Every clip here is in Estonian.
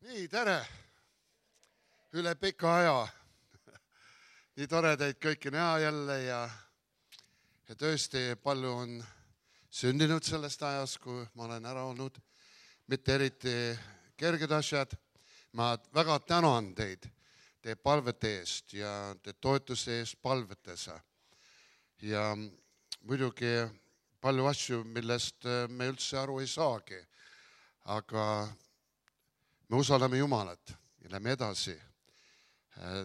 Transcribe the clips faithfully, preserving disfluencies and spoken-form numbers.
Nii, tere! Üle pika aja. Nii tore teid kõiki näha jälle ja, ja tõesti palju on sündinud sellest ajast, kui ma olen ära olnud. Mitte eriti kerged asjad. Ma väga tänan teid teie palvete eest ja teie toetuse eest palvetes. Ja muidugi palju asju, millest me üldse aru ei saagi. Aga me usaldame Jumalat ja lähme edasi.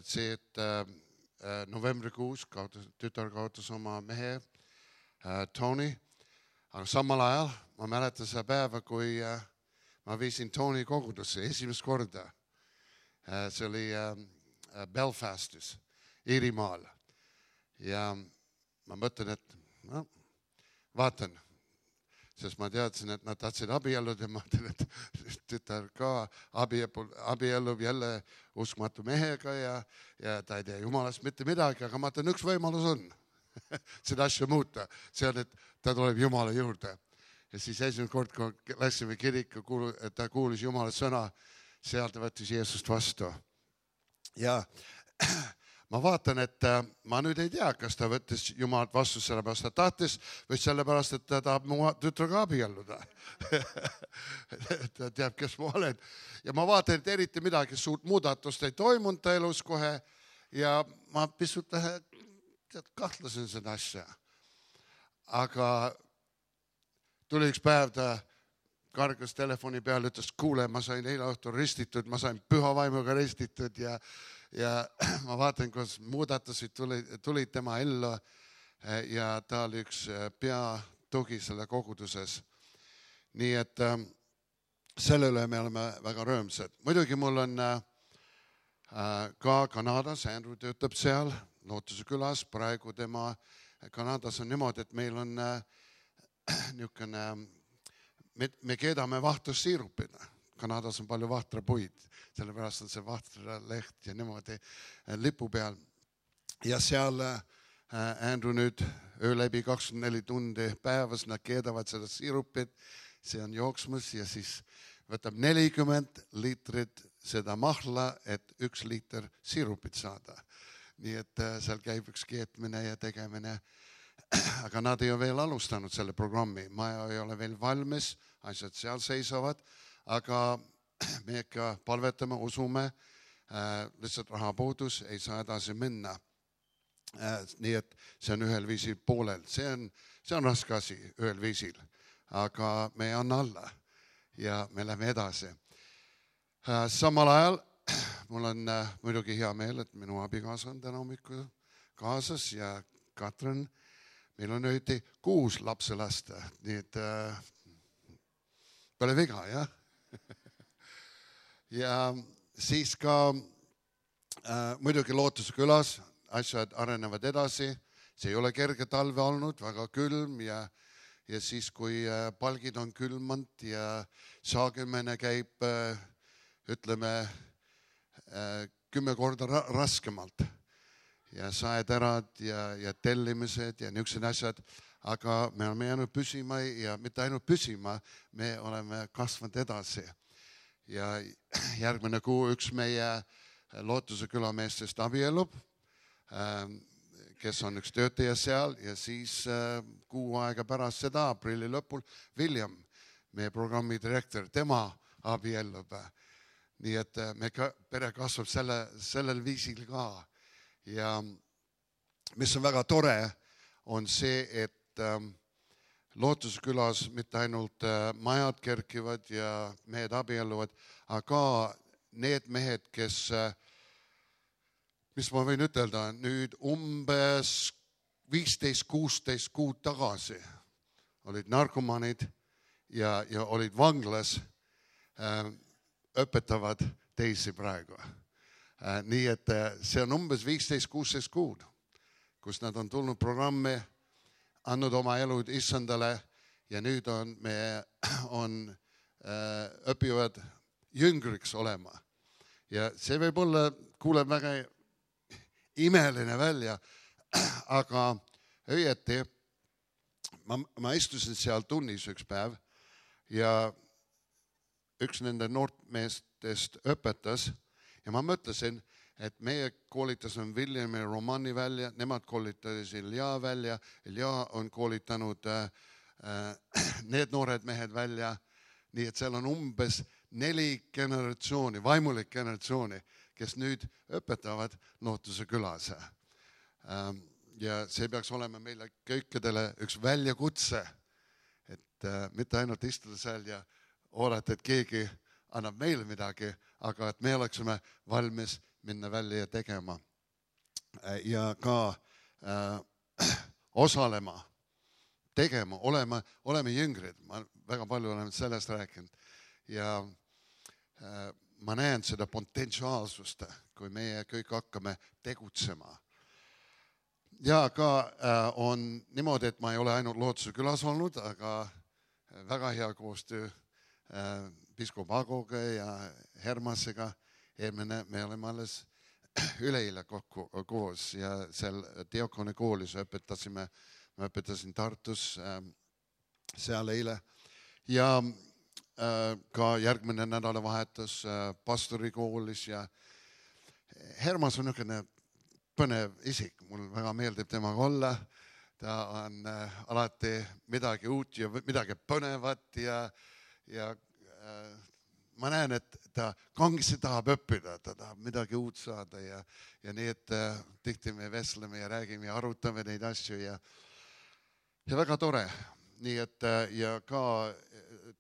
See, et novembrikuus tütar kaotas oma mehe Tony, aga samal ajal ma mäletan seda päeva, kui ma viisin Tony kogudusse esimest korda. See oli Belfastis, Iirimaal. Ja ma mõtlen, et no, vaatan, sest ma teadsin, et nad tahtsid abiellud ja ma mõtlen, et tütar ka abiellub jälle uskmatu mehega ja, ja ta ei tea Jumalast mitte midagi, aga ma mõtlen, üks võimalus on seda asja muuta. See on, et ta tuleb Jumala juurde. Ja siis esimene kord, kui läksime kirika, ta kuulis Jumala sõna, seal ta võttis Jeesust vastu. Ja ma vaatan, et ma nüüd ei tea, kas ta võttis Jumalat vastu sellepärast, ta tahtis või sellepärast, et ta tahab mu tütraga abielluda. Ta teab, kes ma olen. Ja ma vaatan, et eriti midagi suurt muudatust ei toimunud ta elus kohe ja ma pisut kahtlasin seda asja. Aga tuli üks päev, ta kargas telefoni peale, ütles, kuule, ma sain eile õhtul ristitud, ma sain püha vaimuga ristitud ja Ja ma vaatan, kus muudatusid tulid, tulid tema ellu ja ta oli üks peatugi selle koguduses. Nii et selle üle me oleme väga rõõmsad. Muidugi mul on ka Kanadas, Andrew töötab seal, Lootuse külas. Praegu tema Kanadas on niimoodi, et meil on niisugune, me, me keedame vahtussiirupina. Kanadas on palju vahtrapuid, sellepärast on see vahtraleht ja niimoodi lipu peal. Ja seal Andrew nüüd öö läbi kakskümmend neli tundi päevas, nad keedavad seda siirupit, see on jooksmus ja siis võtab nelikümmend liitrit seda mahla, et üks liiter siirupit saada. Nii et seal käib üks keetmine ja tegemine. Aga nad ei ole veel alustanud selle programmi, maja ei ole veel valmis, asjad seal seisavad. Aga me ikka palvetame, usume, lihtsalt rahapuudus ei saa edasi minna. Nii et see on ühel viisil poolel. See on, see on raske asi ühel viisil, aga me ei anna alla ja me lähme edasi. Samal ajal mul on muidugi hea meel, et minu abikaasa on täna hommikul kaasas ja Katrin, meil on ööti kuus lapselasta, nii et pole viga, jah? Ja siis ka äh, muidugi Lootuse külas asjad arenevad edasi. See ei ole kerge talve olnud, väga külm ja, ja siis kui äh, palgid on külmand ja saagimene käib, äh, ütleme, äh, kümme korda ra raskemalt. Ja saeterad ja, ja tellimised ja niisugused asjad. Aga me oleme jäänud püsima ja mitte ainult püsima, me oleme kasvanud edasi. Ja järgmine kuu üks meie Lootuse külameestest abiellub, kes on üks töötaja seal ja siis kuu aega pärast seda, aprilli lõpul, William, meie programmi direktor, tema abiellub. Nii et me ka, pere kasvab selle, sellel viisil ka. Ja mis on väga tore, on see, et Lootuse külas mitte ainult majad kerkivad ja mehed abielluvad, aga need mehed, kes, mis ma võin ütelda, nüüd umbes viisteist kuusteist kuud tagasi olid narkomanid ja, ja olid vanglas, õpetavad teisi praegu. Nii et see on umbes viisteist kuusteist kuud, kus nad on tulnud programmi, andnud oma elud issandale ja nüüd on, me on, äh, õpivad jüngriks olema. Ja see võib olla, kuuleb väga imeline välja, aga õieti ma, ma istusin seal tunnis üks päev ja üks nende noortmeestest õpetas ja ma mõtlesin, et meie koolitasime William ja Romani välja, nemad koolitasid Ilja välja, Ilja on koolitanud äh, need noored mehed välja, nii et seal on umbes neli generatsiooni, vaimulik generatsiooni, kes nüüd õpetavad Lootuse külas. Ähm, ja see peaks olema meile kõikidele üks väljakutse, et äh, mitte ainult istuda seal ja oodata, et keegi annab meile midagi, aga et me oleksime valmis minna välja ja tegema ja ka äh, osalema, tegema, olema, oleme jüngrid. Ma väga palju olen sellest rääkinud ja äh, ma näen seda potentsiaalsust, kui meie kõik hakkame tegutsema. Ja ka äh, on niimoodi, et ma ei ole ainult Lootuse külas olnud, aga väga hea koostöö äh, piskop Agoga ja Hermasega. Eelmine me oleme alles üleeile kokku koos ja seal Diakoni koolis õpetasime, ma õpetasin Tartus äh, seal eile ja äh, ka järgmine nädalavahetus äh, pastorikoolis ja Hermas on niisugune põnev isik, mul väga meeldib temaga olla, ta on äh, alati midagi uut ja midagi põnevat ja, ja äh, ma näen, et ta kangesti tahab õppida, ta tahab midagi uut saada ja, ja nii, et äh, tihti me vestleme ja räägime ja arutame neid asju ja, ja väga tore. Nii et äh, ja ka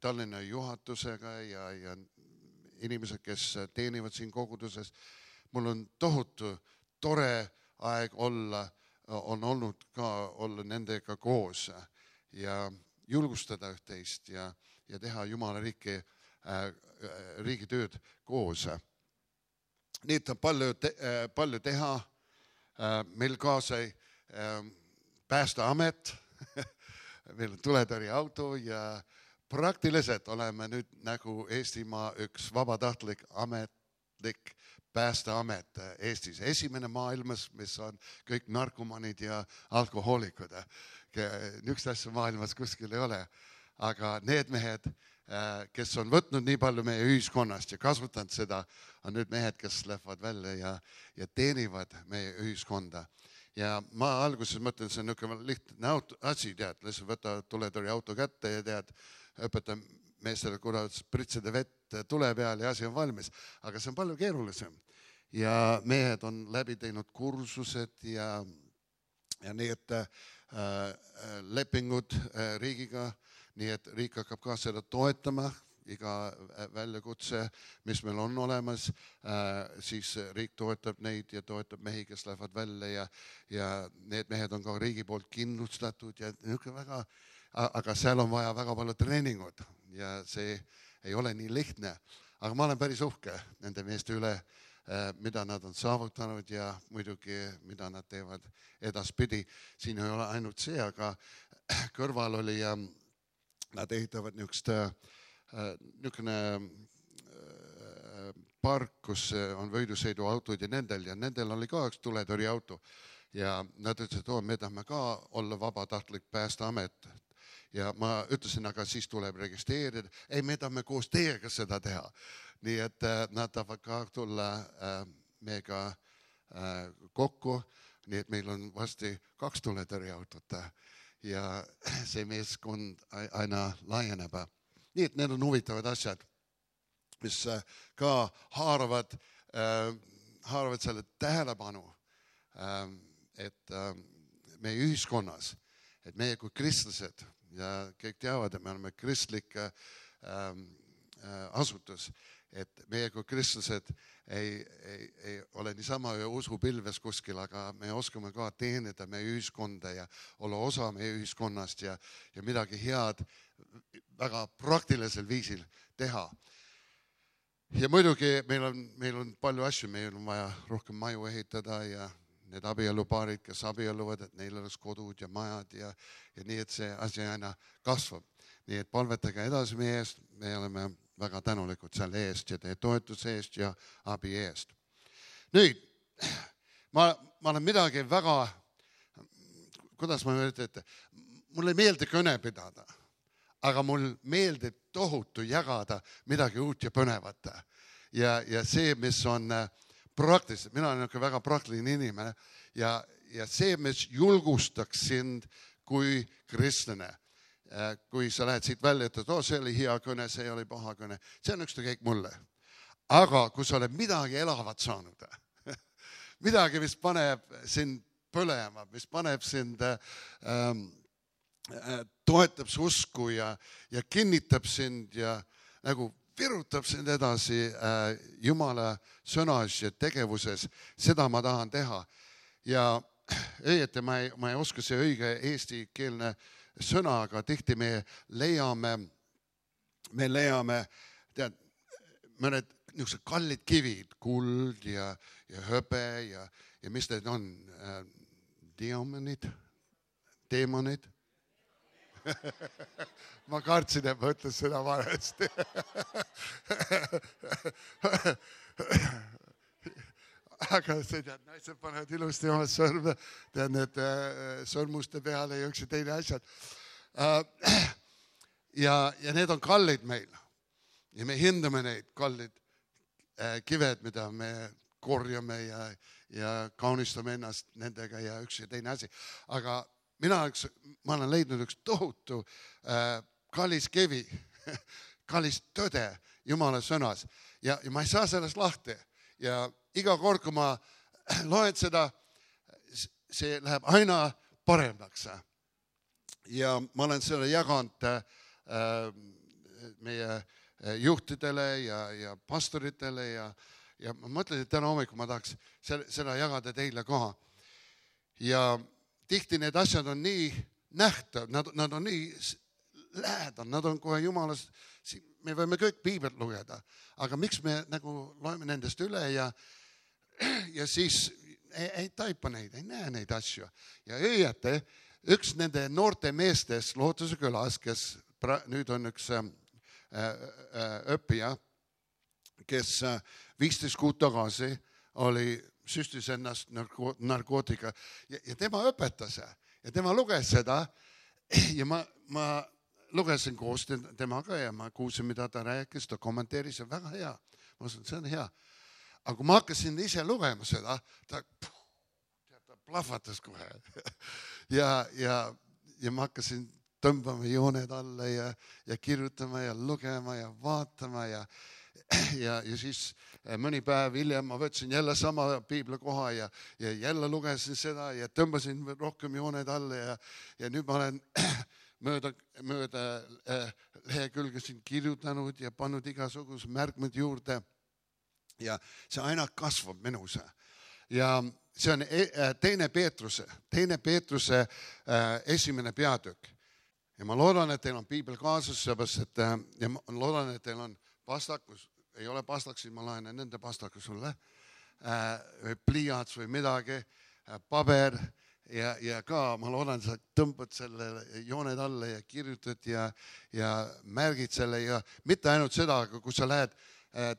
Tallinna juhatusega ja, ja inimesed, kes teenivad siin koguduses, mul on tohutu tore aeg olla, on olnud ka olla nendega koos ja julgustada üht-teist ja, ja teha Jumala riiki riigi tööd koos. Nii et on palju, te, palju teha. Meil kaasa Päästeamet, meil on tuletõrjeauto ja praktiliselt oleme nüüd nagu Eestimaa üks vabatahtlik ametlik Päästeamet Eestis. Esimene maailmas, mis on kõik narkomanid ja alkohoolikud. Niisugust asja maailmas kuskil ei ole. Aga need mehed, kes on võtnud nii palju meie ühiskonnast ja kasutanud seda, on nüüd mehed, kes lähevad välja ja, ja teenivad meie ühiskonda. Ja ma alguses mõtlen, see on niisugune lihtne auto, asi, tead, lihtsalt võta tuletõrjeauto kätte ja tead, õpeta meestele, kuidas pritsida vett tule peal ja asi on valmis. Aga see on palju keerulisem. Ja mehed on läbi teinud kursused ja, ja nii, et äh, lepingud äh, riigiga, nii et riik hakkab ka seda toetama, iga väljakutse, mis meil on olemas, siis riik toetab neid ja toetab mehi, kes lähevad välja ja, ja need mehed on ka riigi poolt kindlustatud ja niisugune väga, aga seal on vaja väga palju treeningut ja see ei ole nii lihtne. Aga ma olen päris uhke nende meeste üle, mida nad on saavutanud ja muidugi, mida nad teevad edaspidi. Siin ei ole ainult see, aga kõrval oli ja nad ehitavad niisugust niisugune park, kus on võidusõiduautod ja nendel ja nendel oli ka üks tuletõrjeauto ja nad ütlesid, et oo, me tahame ka olla vabatahtlik Päästeamet ja ma ütlesin, aga siis tuleb registreerida, ei, me tahame koos teiega seda teha, nii et nad tahavad ka tulla meiega kokku, nii et meil on vasti kaks tuletõrjeautot ja see meeskond aina laieneb. Nii et need on huvitavad asjad, mis ka haaravad, haaravad selle tähelepanu, et meie ühiskonnas, et meie kui kristlased, ja kõik teavad, et me oleme kristlik asutus, et meie kui kristlased ei, ei, ei ole niisama usupilves kuskil, aga me oskame ka teenida meie ühiskonda ja olla osa meie ühiskonnast ja, ja midagi head väga praktilisel viisil teha. Ja muidugi meil on, meil on palju asju, meil on vaja rohkem maju ehitada ja need abielupaarid, kes abielluvad, et neil oleks kodud ja majad ja, ja nii, et see asi aina kasvab. Nii et palvetage edasi meie eest, me oleme väga tänulikud selle eest ja teie toetuse eest ja abi eest. Nüüd, ma, ma olen midagi väga, kuidas ma ütlen, et mul ei meeldi kõne pidada, aga mul meeldib tohutu jagada midagi uut ja põnevat. Ja, ja see, mis on praktiliselt, mina olen väga praktiline inimene ja, ja see, mis julgustaks sind kui kristlane. Kui sa lähed siit välja, et oh, see oli hea kõne, see oli paha kõne, see on ükstakäik mulle. Aga kui sa oled midagi elavat saanud, midagi, mis paneb sind põlema, mis paneb sind, ähm, toetab su usku ja, ja kinnitab sind ja nagu virutab sind edasi äh, Jumala sõnas ja tegevuses, seda ma tahan teha. Ja õieti ma ei, ma ei oska see õige eestikeelne sõna, aga tihti me leiame, me leiame, tead, mõned niisugused kallid kivid, kuld ja, ja höbe ja, ja mis need on, äh, diamonid, deemonid. Ma kartsin, et ma ütlen seda valesti. Aga see tead, naised panevad ilusti oma sõrme, tead need sõrmuste peale ja üks ja teine asjad. Ja, ja need on kallid meil. Ja me hindame neid kallid kived, mida me korjame ja, ja kaunistame ennast nendega ja üks ja teine asi. Aga mina üks, ma olen leidnud üks tohutu äh, kallis kivi, kallis tõde Jumala sõnas ja, ja ma ei saa sellest lahti. Ja iga kord, kui ma loen seda, see läheb aina paremaks. Ja ma olen selle jaganud äh, meie juhtidele ja, ja pastoritele ja, ja ma mõtlen, et täna hommikul ma tahaks seda jagada teile ka. Ja tihti need asjad on nii nähtav, nad, nad on nii lähedal, nad on kohe Jumalas, me võime kõik piiblit lugeda, aga miks me nagu loeme nendest üle ja, ja siis ei, ei taipa neid, ei näe neid asju. Ja õieti, üks nende noorte meestest Lootuse külas, kes pra, nüüd on üks äh, äh, õppija, kes äh, viisteist kuud tagasi oli süstis ennast narko, narkootika ja, ja tema õpetas ja tema luges seda ja ma, ma lugesin koos temaga ja ma kuulsin, mida ta rääkis, ta kommenteeris ja väga hea. Ma ütlesin, see on hea. Aga kui ma hakkasin ise lugema seda, ta, ta plahvatas kohe. ja, ja, ja ma hakkasin tõmbama jooned alla ja, ja kirjutama ja lugema ja vaatama ja Ja, ja siis mõni päev hiljem ma võtsin jälle sama piiblakoha ja, ja jälle lugesin seda ja tõmbasin rohkem jooned alla ja, ja nüüd ma olen mööda, mööda äh, lehekülge siin kirjutanud ja pannud igasugused märkmed juurde ja see aina kasvab minus. Ja see on teine Peetruse, teine Peetruse äh, esimene peatükk. Ja ma loodan, et teil on piibel kaasas, seepärast, et äh, ja ma loodan, et teil on pastakus, ei ole pastaksid, ma laenan nende pastaku sulle, või pliiats või midagi, paber ja, ja ka ma loodan, sa tõmbad selle jooned alla ja kirjutad ja, ja märgid selle ja mitte ainult seda, aga kui sa lähed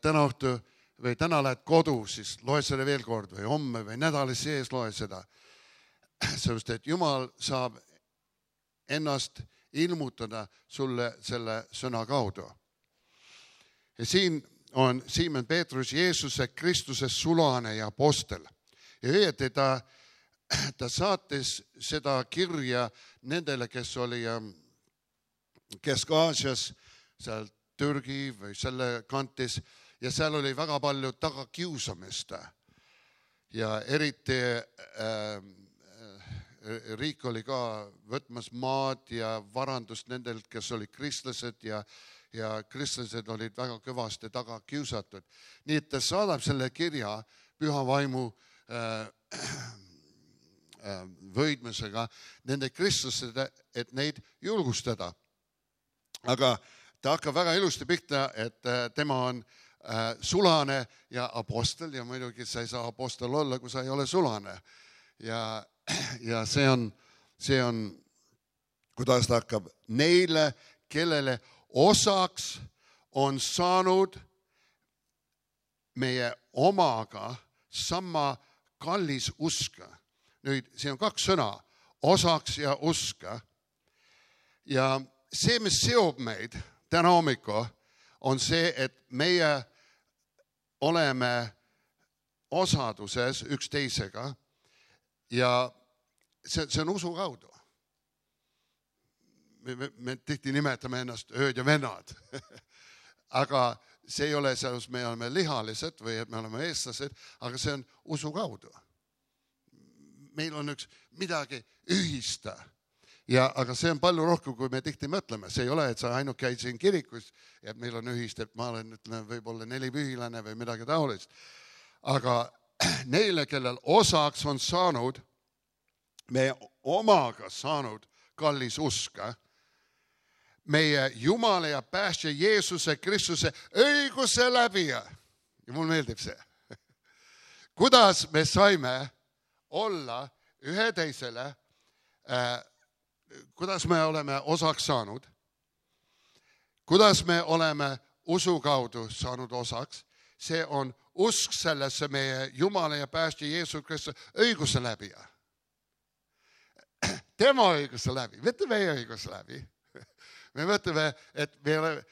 täna õhtu või täna lähed kodu, siis loe selle veel kord või homme või nädali sees loe seda. Sellepärast, et Jumal saab ennast ilmutada sulle selle sõna kaudu. Ja siin on Siimon Peetrus, Jeesuse Kristuse sulane ja apostel. Ja õieti ta, ta saatis seda kirja nendele, kes oli Kesk-Aasias, seal Türgi või selle kantis, ja seal oli väga palju tagakiusamist. Ja eriti äh, riik oli ka võtmas maad ja varandust nendelt, kes olid kristlased ja ja kristlased olid väga kõvasti taga kiusatud. Nii et ta saadab selle kirja püha vaimu äh, äh, võidmusega nende kristlased, et neid julgustada. Aga ta hakkab väga ilusti pihta, et äh, tema on äh, sulane ja apostel ja muidugi sa ei saa apostel olla, kui sa ei ole sulane. Ja, ja see on, see on, kuidas ta hakkab neile, kellele osaks on saanud meie omaga sama kallis usk. Nüüd, siin on kaks sõna, osaks ja usk. Ja see, mis seob meid täna hommiku, on see, et meie oleme osaduses üksteisega ja see, see on usu kaudu. Me, me, me tihti nimetame ennast ööd ja vennad, aga see ei ole selles, me oleme lihalised või et me oleme eestlased, aga see on usu kaudu. Meil on üks midagi ühista, ja, aga see on palju rohkem, kui me tihti mõtleme. See ei ole, et sa ainult käid siin kirikus ja et meil on ühist, et ma olen ütleme, võib-olla nelipühilane või midagi taolist. Aga neile, kellel osaks on saanud, me omaga saanud kallis uska, meie Jumala ja päästja Jeesuse Kristuse õiguse läbi. Ja mul meeldib see. Kuidas me saime olla ühe teisele, äh, kuidas me oleme osaks saanud, kuidas me oleme usu kaudu saanud osaks, see on usk sellesse meie Jumala ja päästja Jeesuse Kristuse õiguse läbi. Tema õiguse läbi, mitte meie õiguse läbi. Me mõtleme, et me oleme,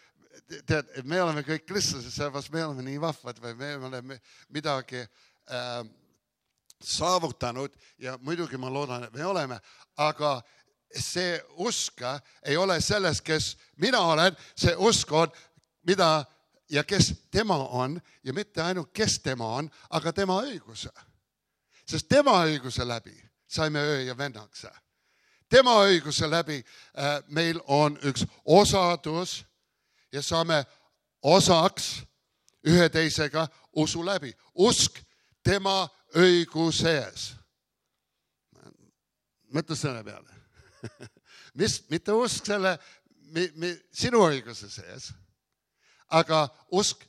tead, me oleme kõik kristlased, sellepärast me oleme nii vahvad või me oleme midagi äh, saavutanud ja muidugi ma loodan, et me oleme, aga see usk ei ole selles, kes mina olen, see usk on, mida ja kes tema on ja mitte ainult kes tema on, aga tema õiguse. Sest tema õiguse läbi saime öö ja vennaks. Tema õiguse läbi äh, meil on üks osadus ja saame osaks ühe teisega usu läbi. Usk tema õiguses. Mõtle selle peale. Mis, mitte usk selle mi, mi, sinu õiguse sees, aga usk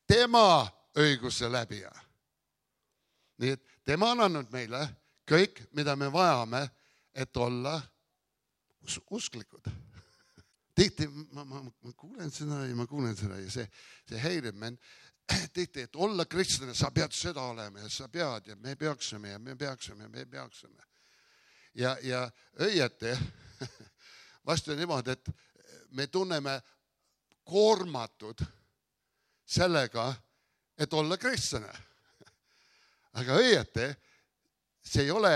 tema õiguse läbi. Nii et tema on andnud meile kõik, mida me vajame, et olla us- usklikud. Tihti ma, ma, ma kuulen seda ja ma kuulen seda ja see, see häirib mind. Tihti, et olla kristlane, sa pead seda olema ja sa pead ja me peaksime ja me peaksime ja me peaksime. Ja, ja õieti, vastu niimoodi, et me tunneme koormatud sellega, et olla kristlane. Aga õieti, see ei ole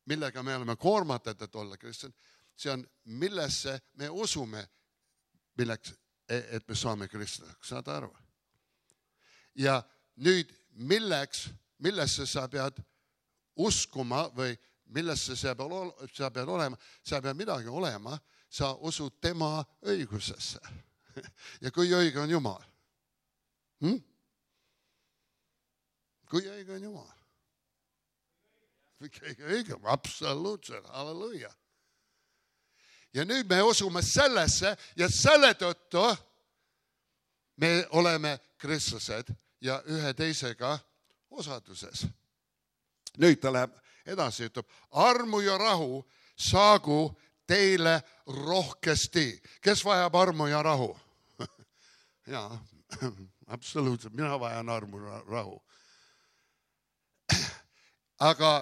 millega me oleme koormatud, et olla kristjan, see on, millesse me usume, milleks, et me saame kristlaseks, saad aru? Ja nüüd, milleks, millesse sa pead uskuma või millesse sa pead, sa pead olema, sa pead midagi olema, sa usud tema õigusesse. Ja kui õige on Jumal? Hm? Kui õige on Jumal? Õige, absoluutselt, halleluja. Ja nüüd me usume sellesse ja selle tõttu me oleme kristlased ja ühe teisega osaduses. Nüüd ta läheb edasi, ütleb, armu ja rahu saagu teile rohkesti. Kes vajab armu ja rahu? Jaa, absoluutselt, mina vajan armu ja rahu. Aga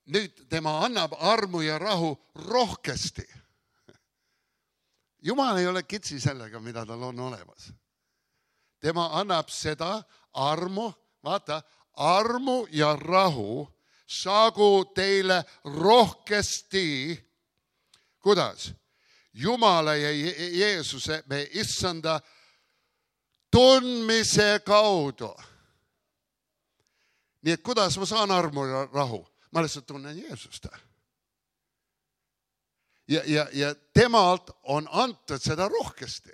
nüüd tema annab armu ja rahu rohkesti. Jumal ei ole kitsi sellega, mida tal on olemas. Tema annab seda armu, vaata, armu ja rahu saagu teile rohkesti. Kuidas? Jumala ja Jeesuse, me issanda tundmise kaudu. Nii et kuidas ma saan armu ja rahu? Ma lihtsalt tunnen Jeesust. Ja, ja, ja temalt on antud seda rohkesti.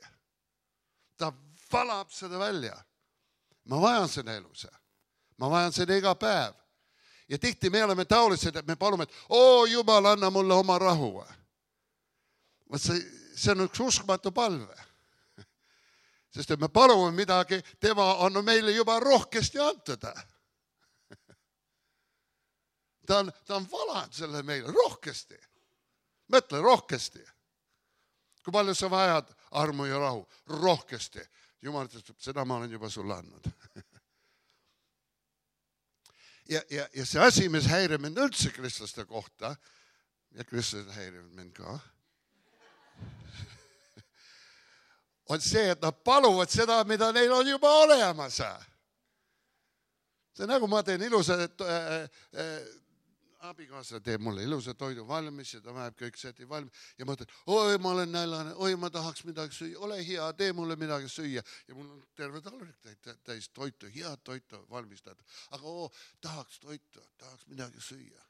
Ta valab seda välja. Ma vajan seda elus. Ma vajan seda iga päev. Ja tihti me oleme taolised, et me palume, et oo Jumal, anna mulle oma rahu. See, see on üks uskmatu palve. Sest et me palume midagi, tema on meile juba rohkesti antada. Ta on, ta on valanud selle meile rohkesti. Mõtle rohkesti. Kui palju sa vajad armu ja rahu? Rohkesti. Jumal ütleb, seda ma olen juba sulle andnud. Ja, ja, ja see asi, mis häirib mind üldse kristlaste kohta, ja kristlased häirivad mind ka, on see, et nad paluvad seda, mida neil on juba olemas. See nagu ma teen ilusa, et äh, äh, abikaasa teeb mulle ilusa toidu valmis ja ta väheb kõik seti valmis ja ma ütlen, oi, ma olen näljane, oi, ma tahaks midagi süüa, ole hea, tee mulle midagi süüa ja mul on terve taldrik täis toitu, head toitu valmistada, aga oo, tahaks toitu, tahaks midagi süüa.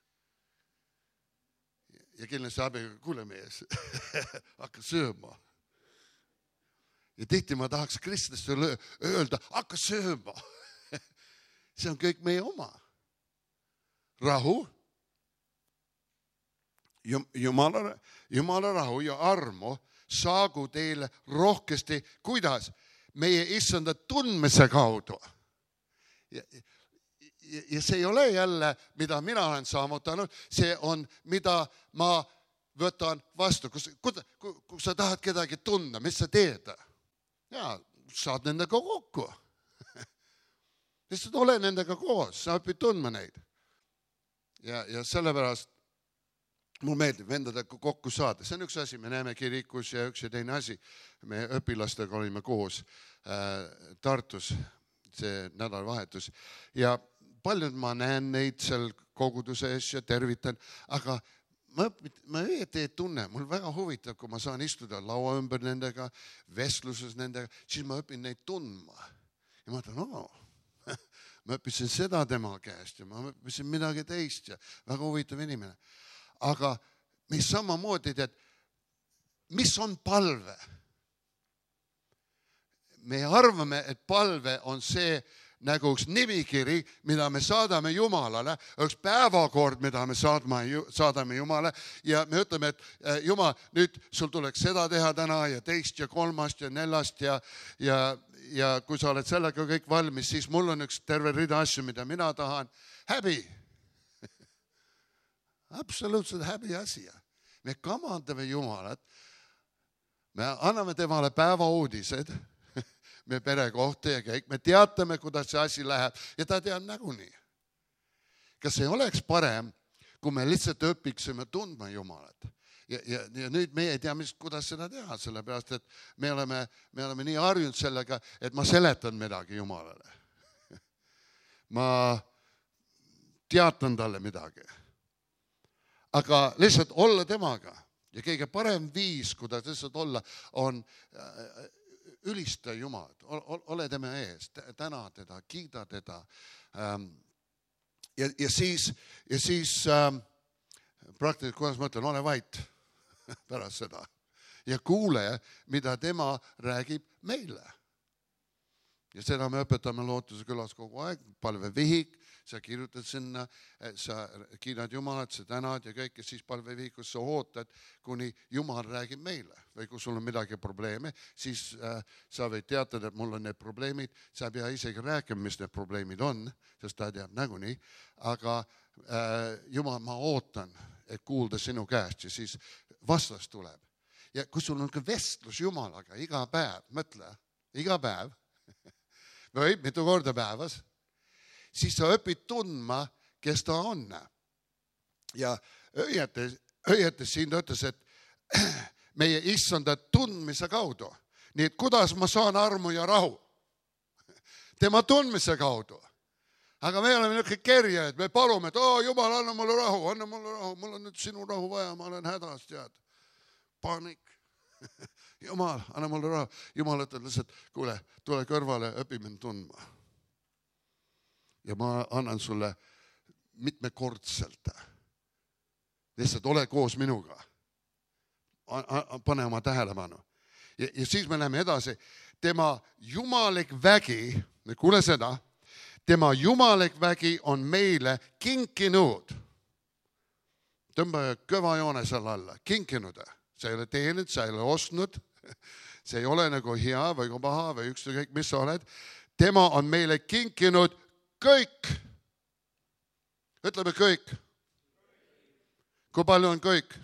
Ja kindlasti abiga, kuule mees, hakka sööma. Ja tihti ma tahaks kristlasele öelda, hakka sööma. See on kõik meie oma. Rahu. Jumala, Jumala rahu ja armu saagu teile rohkesti, kuidas? Meie issanda tundmise kaudu. Ja, ja, ja see ei ole jälle, mida mina olen saavutanud, see on, mida ma võtan vastu. Kus, kui, kui sa tahad kedagi tunda, mis sa teed? Ja, saad nendega kokku. Lihtsalt ole nendega koos, sa õpid tundma neid. Ja, ja sellepärast mul meeldib vendadega kokku saada. See on üks asi, me näeme kirikus ja üks ja teine asi. Me õpilastega olime koos äh, Tartus see nädalavahetus. Ja paljud ma näen neid seal koguduses ja tervitan, aga ma, ma õieti ei tunne. Mul väga huvitav, kui ma saan istuda laua ümber nendega, vestluses nendega, siis ma õpin neid tundma. Ja ma ütlen, oo, ma õppisin seda tema käest ja ma õppisin midagi teist ja väga huvitav inimene. Aga mis samamoodi tead, mis on palve? Me arvame, et palve on see nagu üks nimikiri, mida me saadame Jumalale, üks päevakord, mida me saadame, saadame Jumale ja me ütleme, et Jumal, nüüd sul tuleks seda teha täna ja teist ja kolmast ja neljast ja, ja, ja kui sa oled sellega kõik valmis, siis mul on üks terve rida asju, mida mina tahan. Häbi! Absoluutselt häbi asia. Me kamandame Jumalat, me anname temale päevauudised, me pere kohta ja kõik, me teatame, kuidas see asi läheb ja ta teab nagunii. Kas ei oleks parem, kui me lihtsalt õpiksime tundma Jumalat? Ja, ja, ja nüüd me ei tea, mis, kuidas seda teha, sellepärast, et me oleme, me oleme nii harjunud sellega, et ma seletan midagi Jumalale. Ma teatan talle midagi. Aga lihtsalt olla temaga ja kõige parem viis, kuidas lihtsalt olla, on ülista Jumalat, ole tema ees, täna teda, kiida teda. Ja, ja siis, ja siis praktiliselt, kuidas ma ütlen, ole vait pärast seda ja kuule, mida tema räägib meile. Ja seda me õpetame Lootuse külas kogu aeg, palvevihik, sa kirjutad sinna, sa kiidad Jumalat, sa tänad ja kõik, ja siis palvevihikus sa ootad, kuni Jumal räägib meile. Või kui sul on midagi probleeme, siis äh, sa võid teatada, et mul on need probleemid, sa ei pea isegi rääkima, mis need probleemid on, sest ta teab nagunii, aga äh, Jumal, ma ootan, et kuulda sinu käest ja siis vastas tuleb. Ja kui sul on ka vestlus Jumalaga iga päev, mõtle, iga päev, või mitu korda päevas, siis sa õpid tundma, kes ta on. Ja õietes, õietes siin ta ütles, et meie issanda tundmise kaudu. Nii et kuidas ma saan armu ja rahu? Tema tundmise kaudu. Aga me oleme niisugune kerja, et me palume, et oo, Jumal, anna mulle rahu, anna mulle rahu, mul on nüüd sinu rahu vaja, ma olen hädas, tead. Paanik. Jumal, anna mulle rahu. Jumal ütleb lihtsalt, kuule, tule kõrvale, õpi mind tundma. Ja ma annan sulle mitmekordselt. Lihtsalt ole koos minuga. Pane oma tähelepanu. Ja, ja siis me läheme edasi. Tema jumalik vägi, kuule seda, tema jumalik vägi on meile kinkinud. Tõmba kõva joone selle alla. Kinkinud. Sa ei ole teeninud, sa ei ole ostnud. See ei ole nagu hea või paha või ükskõik, mis sa oled. Tema on meile kinkinud kõik. Ütleme kõik. Kui palju on kõik?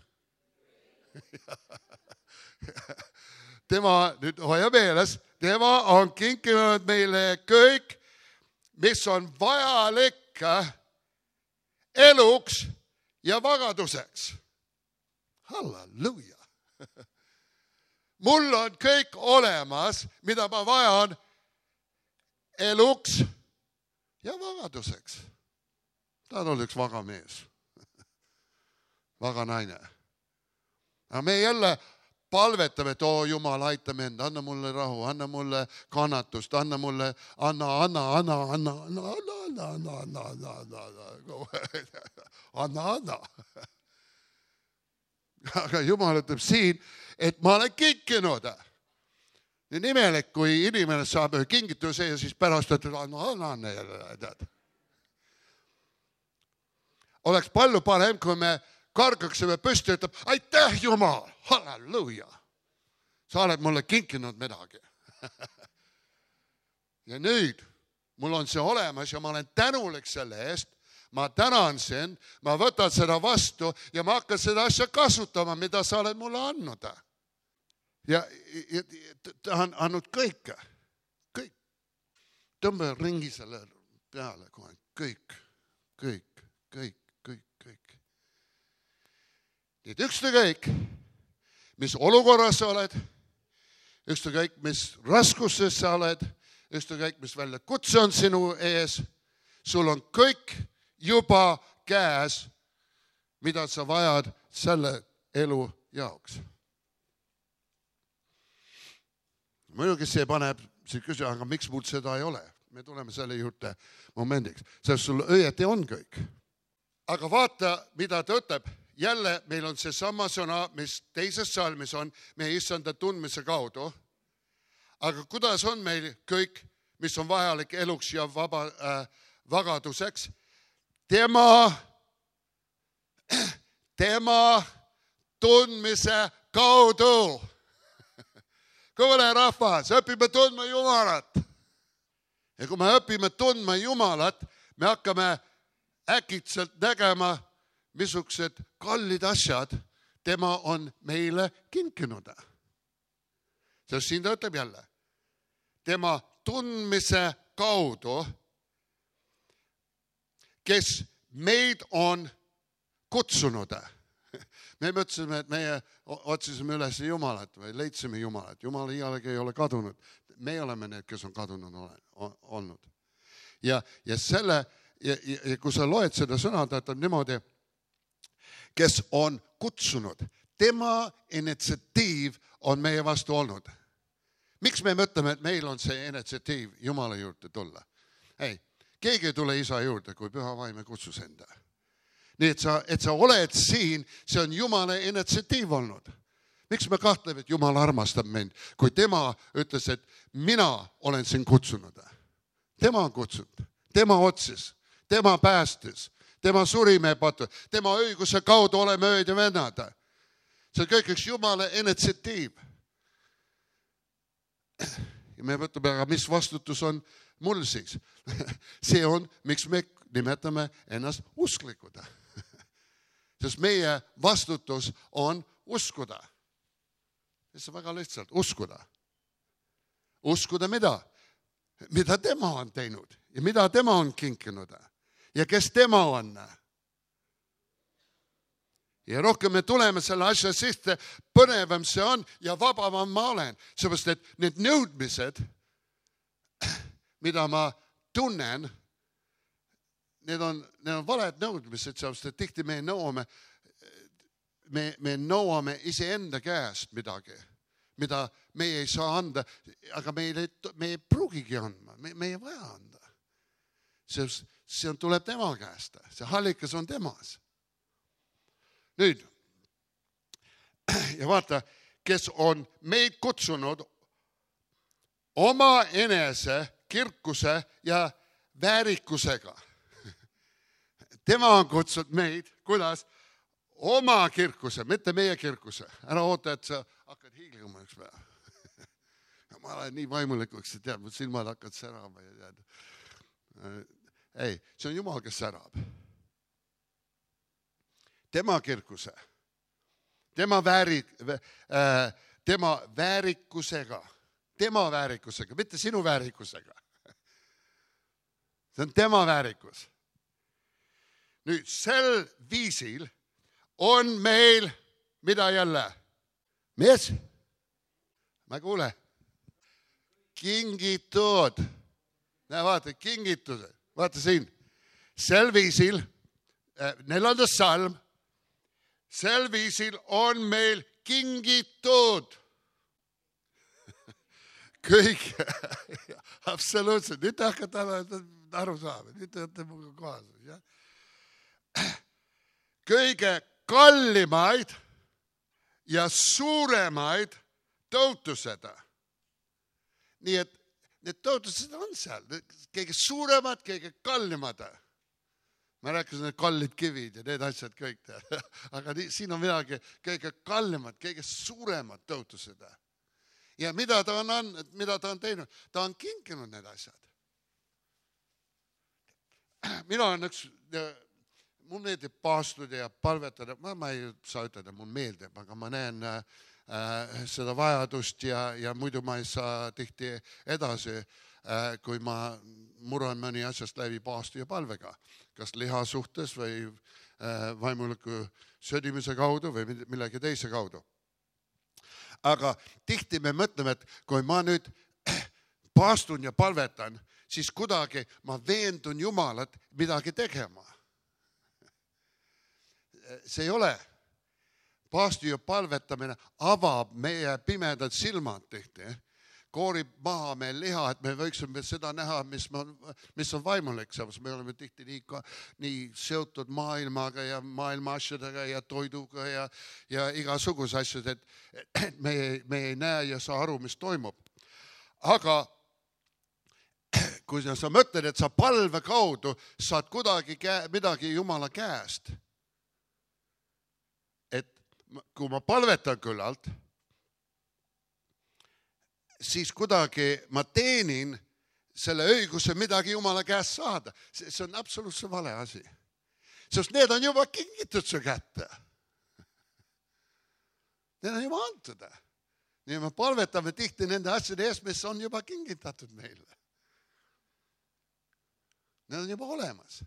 Tema, nüüd hoia meeles, tema on kinkinud meile kõik, mis on vajalik eluks ja vagaduseks. Halleluja. mul on kõik olemas, mida ma vajan eluks ja vagaduseks. Ta on olnud üks vaga mees. Vaga naine. Aga me jälle palvetame, et oo Jumal, aita mind, anna mulle rahu, anna mulle kannatust, anna mulle, anna, anna, anna, anna, anna, anna, anna, anna, anna, anna, anna, anna. Aga Jumal ütleb siin, et ma olen kinkinud. Nii nimelik, kui inimene saab kingituse ja siis pärast ütleb, anna, anna, anna jälle. Oleks palju parem, kui me kargaksime püsti ja ütleb, aitäh Jumal, halleluuja. Sa oled mulle kinkinud midagi. Ja nüüd mul on see olemas ja ma olen tänulik selle eest. Ma tänan sind, ma võtan seda vastu ja ma hakkan seda asja kasutama, mida sa oled mulle andnud. Ja, ja ta on andnud kõike. Kõik. Tõmba ringi selle peale kohe. Kõik, kõik, kõik, kõik, kõik. Et ükskõik, mis olukorras sa oled, ükskõik, mis raskuses sa oled, ükskõik, mis väljakutse on sinu ees, sul on kõik juba käes, mida sa vajad selle elu jaoks. Muidugi see paneb, see küsib, aga miks mul seda ei ole? Me tuleme selle juurde momendiks, sest sul õieti on kõik. Aga vaata, mida ta ütleb. Jälle meil on see sama sõna, mis teises salmis on, meie issanda tundmise kaudu. Aga kuidas on meil kõik, mis on vajalik eluks ja vaba, äh, vagaduseks? Tema, tema tundmise kaudu. Kuule rahvas, õpime tundma Jumalat. Ja kui me õpime tundma Jumalat, me hakkame äkitselt nägema, missugused kallid asjad tema on meile kinkinud. Sest siin ta ütleb jälle, tema tundmise kaudu, kes meid on kutsunud. Me mõtlesime, et meie otsisime üles Jumalat või leidsime Jumalat. Jumal iialegi ei ole kadunud. Me oleme need, kes on kadunud olnud. Ja, ja selle, ja, ja kui sa loed seda sõna, ta ütleb niimoodi, kes on kutsunud. Tema initsiatiiv on meie vastu olnud. Miks me mõtleme, et meil on see initsiatiiv Jumala juurde tulla? Ei, keegi ei tule isa juurde, kui püha vaim ei kutsus enda. Nii et sa, et sa oled siin, see on Jumala initsiatiiv olnud. Miks me kahtleme, et Jumal armastab mind, kui tema ütles, et mina olen siin kutsunud. Tema on kutsunud, tema otsis, tema päästis. Tema suri me patu, tema õiguse kaudu oleme ööd ja vennad. See on kõik üks Jumala initsiatiiv. Ja me võtame, aga mis vastutus on mul siis? See on, miks me nimetame ennast usklikud. Sest meie vastutus on uskuda. See on väga lihtsalt, uskuda. Uskuda mida? Mida tema on teinud ja mida tema on kinkinud. Ja kes tema on. Ja rohkem me tuleme selle asja sisse, põnevam see on ja vabavam ma olen. Seepärast, et need nõudmised, mida ma tunnen, need on, need on valed nõudmised, seepärast, et tihti me nõuame, me, me nõuame iseenda käest midagi, mida me ei saa anda, aga me ei, me ei pruugigi andma, me, me ei vaja anda. Seepärast, see on, tuleb tema käest. See hallikas on temas. Nüüd, ja vaata, kes on meid kutsunud oma enese kirkuse ja väärikusega. Tema on kutsunud meid, kuidas? Oma kirkuse, mitte meie kirkuse. Ära oota, et sa hakkad hiiglima üks päev. Ma olen nii vaimulikuks, et tead, mu silmad hakkad särama ja tead. Ei, see on Jumal, kes särab. Tema kirkuse, tema, vääri, äh, tema väärikusega, tema väärikusega, mitte sinu väärikusega. See on tema väärikus. Nüüd, sel viisil on meil, mida jälle? Mees? Ma ei kuule. Kingitud. Näe, vaata, kingitused. Vaata siin. Sel viisil, neljandas salm, sel viisil on meil kingitud. Kõik, absoluutselt. Nüüd te hakkate aru saama. Nüüd te olete muga kohas. Kõige kallimaid ja suuremaid tõotused. Nii et need tõotused on seal. Kõige suuremad, kõige kallimad. Ma rääkisin need kallid kivid ja need asjad kõik. Aga siin on midagi kõige kallimad, kõige suuremad tõotused. Ja mida ta on, mida ta on teinud? Ta on kinkinud need asjad. Mina on üks, mul meeldib paastuda ja palvetada. Ma, ma ei saa ütelda, mul meeldib, aga ma näen äh, seda vajadust ja, ja muidu ma ei saa tihti edasi, äh, kui ma muran mõni asjast läbi paastu ja palvega. Kas liha suhtes või äh, vaimuliku södimise kaudu või millegi teise kaudu. Aga tihti me mõtleme, et kui ma nüüd paastun ja palvetan, siis kuidagi ma veendun Jumalat midagi tegema. See ei ole. Paastu ja palvetamine avab meie pimedad silmad tihti. Koorib maha meil liha, et me võiksime seda näha, mis on, mis on vaimulik. Me oleme tihti nii, nii seotud maailmaga ja maailma asjadega ja toiduga ja, ja igasuguse asjad, et me, me ei näe ja saa aru, mis toimub. Aga kui sa mõtled, et sa palve kaudu saad kuidagi käe, midagi Jumala käest, et kui ma palvetan küllalt, siis kuidagi ma teenin selle õiguse midagi Jumala käest saada. See on absoluutselt vale asi. Sest need on juba kingitud su kätte. Need on juba antud. Nii me palvetame tihti nende asjade eest, mis on juba kingitatud meile. Need on juba olemas.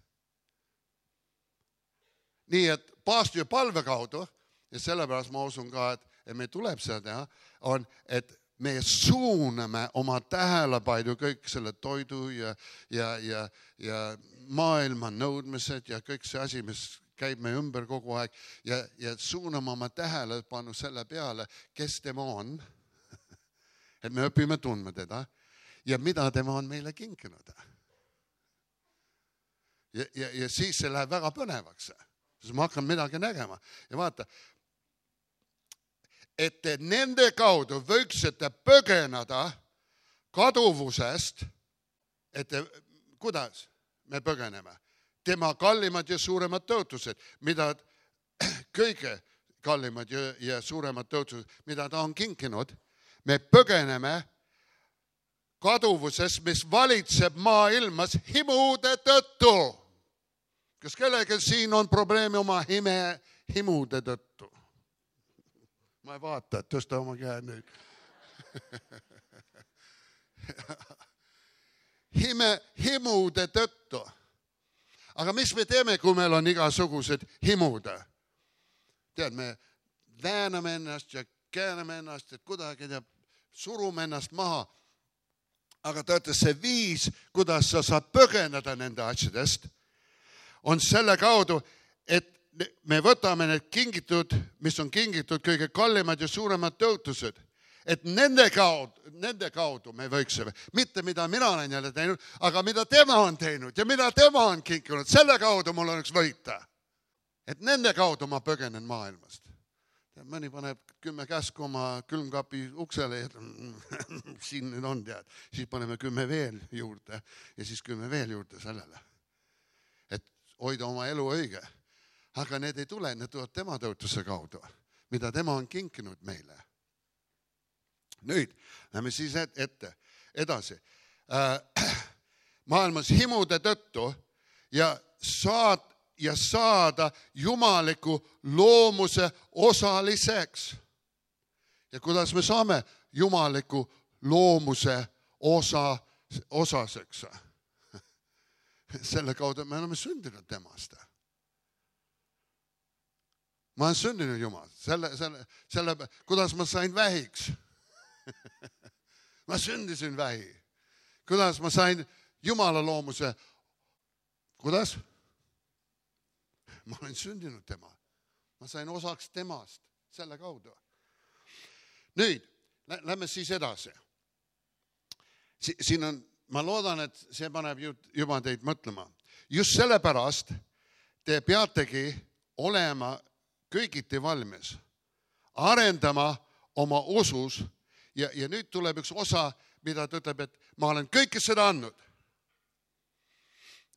Nii et paastu ja palve kaudu, ja sellepärast ma usun ka, et, et me tuleb seda teha, on, et me suuname oma tähelepanu kõik selle toidu ja, ja, ja, ja maailma nõudmised ja kõik see asi, mis käib me ümber kogu aeg ja, ja suuname oma tähelepanu selle peale, kes tema on, et me õpime tundma teda ja mida tema on meile kinkinud. Ja, ja, ja siis see läheb väga põnevaks, siis ma hakkan midagi nägema ja vaata, et nende kaudu võiksite põgeneda kaduvusest, et kuidas me põgeneme? Tema kallimad ja suuremad tõotused, mida kõige kallimad ja, ja suuremad tõotused, mida ta on kinkinud, me põgeneme kaduvusest, mis valitseb maailmas himude tõttu. Kas kellelgi siin on probleemi oma hime, himude tõttu? Ma ei vaata, et tõsta oma käe nüüd. Hime, himude tõttu. Aga mis me teeme, kui meil on igasugused himude? Tead, me vääname ennast ja kääname ennast, et kuidagi teab, surume ennast maha. Aga teate, see viis, kuidas sa saad põgeneda nende asjadest, on selle kaudu, et me võtame need kingitud, mis on kingitud kõige kallimad ja suuremad tõotused, et nende kaudu, nende kaudu me võiksime, mitte mida mina olen jälle teinud, aga mida tema on teinud ja mida tema on kinkinud, selle kaudu mul on üks võita. Et nende kaudu ma põgenen maailmast. Mõni paneb kümme käsku oma külmkapi uksele ja siin nüüd on tead, siis paneme kümme veel juurde ja siis kümme veel juurde sellele. Et hoida oma elu õige. Aga need ei tule, need tulevad tema tõotuse kaudu, mida tema on kinkinud meile. Nüüd, lähme siis ette, edasi. Äh, maailmas himude tõttu ja, saad, ja saada jumaliku loomuse osaliseks. Ja kuidas me saame jumaliku loomuse osa, osaseks? Selle kaudu me oleme sündinud temast. Ma olen sündinud Jumal, selle, selle, selle, kuidas ma sain vähiks. ma sündisin vähi. Kuidas ma sain Jumala loomuse? Kuidas? Ma olen sündinud tema. Ma sain osaks temast selle kaudu. Nüüd, lähme siis edasi. Si siin on, ma loodan, et see paneb juba teid mõtlema. Just sellepärast te peategi olema kõigiti valmis, arendama oma usus ja, ja nüüd tuleb üks osa, mida ta ütleb, et ma olen kõike seda andnud.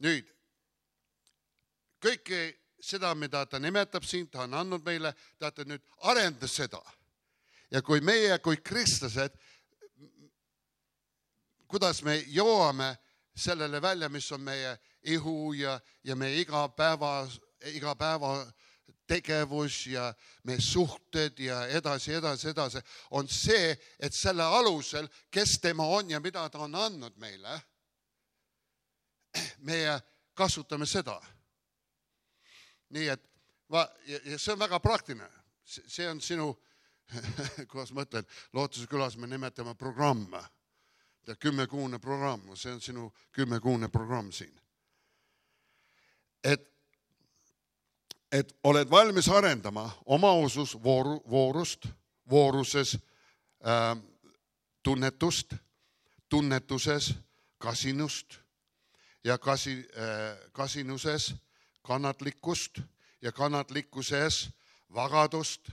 Nüüd, kõike seda, mida ta nimetab siin, ta on andnud meile, ta nüüd arenda seda. Ja kui meie, kui kristlased, kuidas me jõuame sellele välja, mis on meie ihu ja, ja meie iga päeva, iga päeva tegevus ja meie suhted ja edasi, edasi, edasi, on see, et selle alusel, kes tema on ja mida ta on andnud meile, meie kasutame seda. Nii et va, ja see on väga praktiline. See on sinu, kuidas ma ütlen, Lootuse külas me nimetame programm. Kümmekuune programm, see on sinu kümmekuune programm siin. Et, et oled valmis arendama oma usus vooru, voorust, vooruses äh, tunnetust, tunnetuses kasinust ja kasi, äh, kasinuses kannatlikkust ja kannatlikkuses vagadust,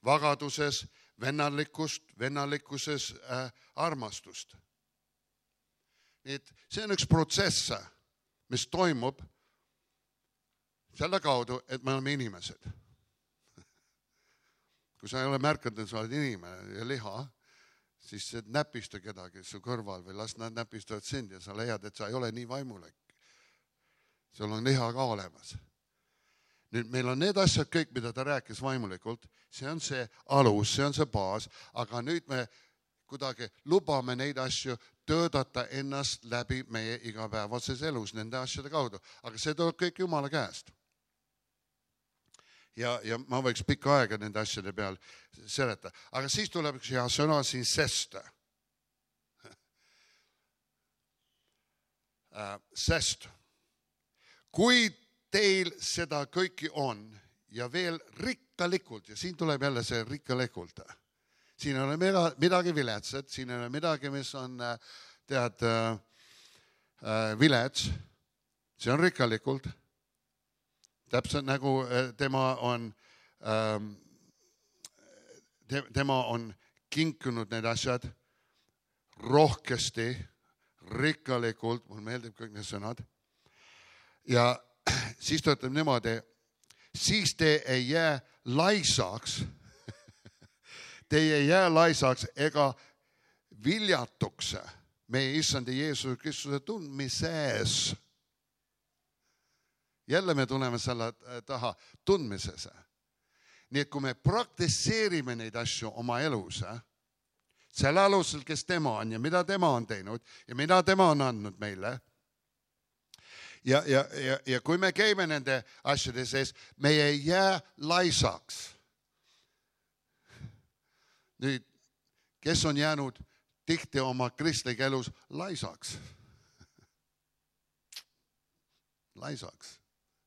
vagaduses vennalikkust, vennallikkuses äh, armastust. Nii et see on üks protsess, mis toimub selle kaudu, et me oleme inimesed. Kui sa ei ole märkanud, et sa oled inimene ja liha, siis näpista kedagi su kõrval või las nad näpistavad sind ja sa leiad, et sa ei ole nii vaimulik. Sul on liha ka olemas. Nüüd meil on need asjad kõik, mida ta rääkis vaimulikult, see on see alus, see on see baas, aga nüüd me kuidagi lubame neid asju töötada ennast läbi meie igapäevases elus nende asjade kaudu. Aga see tuleb kõik Jumala käest. Ja, ja ma võiks pikka aega nende asjade peal seleta. Aga siis tuleb üks hea sõna siin sest. Sest. Kui teil seda kõiki on ja veel rikkalikult, ja siin tuleb jälle see rikkalikult, siin ei ole midagi viletsat, siin ei ole midagi, mis on tead vilets, see on rikkalikult, täpselt nagu tema on, tema on kinkunud need asjad rohkesti, rikkalikult, mul meeldib kõik need sõnad, ja siis ta ütleb niimoodi, siis te ei jää laisaks, te ei jää laisaks ega viljatuks meie issandi Jeesuse Kristuse tundmises. Jälle me tuleme selle taha tundmises. Nii et kui me praktiseerime neid asju oma elus, selle alusel, kes tema on ja mida tema on teinud ja mida tema on andnud meile, Ja, ja, ja, ja kui me käime nende asjade sees, me ei jää laisaks. Nüüd, kes on jäänud tihti oma kristlik elus laisaks? Laisaks.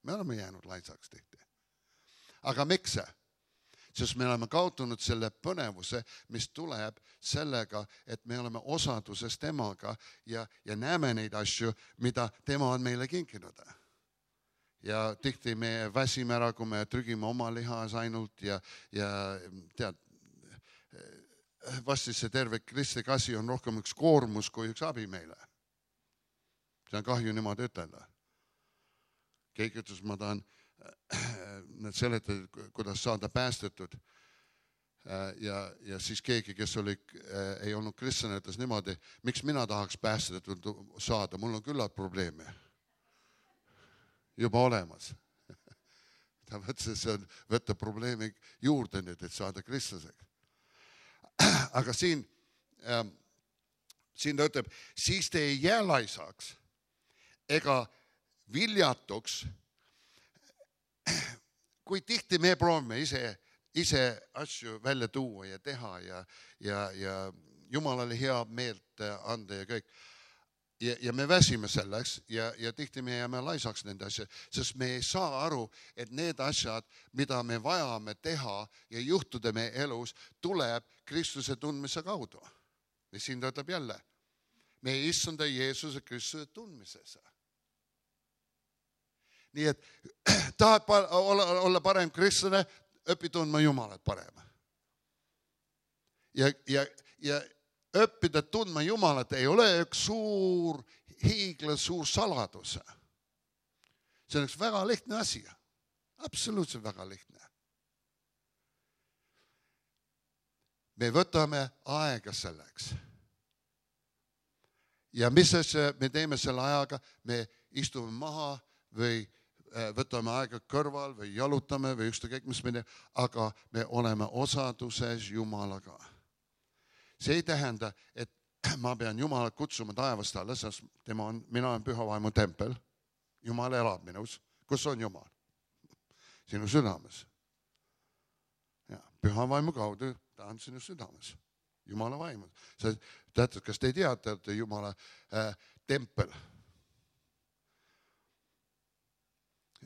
Me oleme jäänud laisaks tihti. Aga miks see? Sest me oleme kaotanud selle põnevuse, mis tuleb sellega, et me oleme osaduses temaga ja, ja näeme neid asju, mida tema on meile kinkinud. Ja tihti me väsime ära, kui me trügime oma lihas ainult ja, ja tead, vasti see terve kristlik asi on rohkem üks koormus kui üks abi meile. See on kahju niimoodi ütelda. Keegi ütles, ma tahan nad seletavad, kuidas saada päästetud ja, ja siis keegi, kes oli, ei olnud kristlane, ütles niimoodi, miks mina tahaks päästetud saada, mul on küllalt probleeme juba olemas. Ta võttis, see on võtta probleemi juurde nüüd, et saada kristlaseks. Aga siin, siin ta ütleb, siis te ei jää laisaks ega viljatuks. Kui tihti me proovime ise, ise asju välja tuua ja teha ja, ja, ja Jumalale hea meelt anda ja kõik. Ja, ja me väsime selleks ja, ja tihti me jääme laisaks nende asjad, sest me ei saa aru, et need asjad, mida me vajame teha ja juhtuda meie elus, tuleb Kristuse tundmise kaudu. Ja siin ta ütleb jälle, meie issanda Jeesuse Kristuse tundmises. Nii et tahad olla, olla parem kristlane, õpi tundma Jumalat parem. Ja, ja, ja õppida tundma Jumalat ei ole üks suur hiigla, suur saladus. See on üks väga lihtne asi. Absoluutselt väga lihtne. Me võtame aega selleks. Ja mis me teeme selle ajaga? Me istume maha või võtame aega kõrval või jalutame või ükskõik mis me teeme, aga me oleme osaduses Jumalaga. See ei tähenda, et ma pean Jumalat kutsuma taevast alla, sest tema on, mina olen püha vaimu tempel. Jumal elab minus. Kus on Jumal? Sinu südames. Ja, püha vaimu kaudu ta on sinu südames. Jumala vaimu. Teate, kas te teate, et Jumala äh, tempel?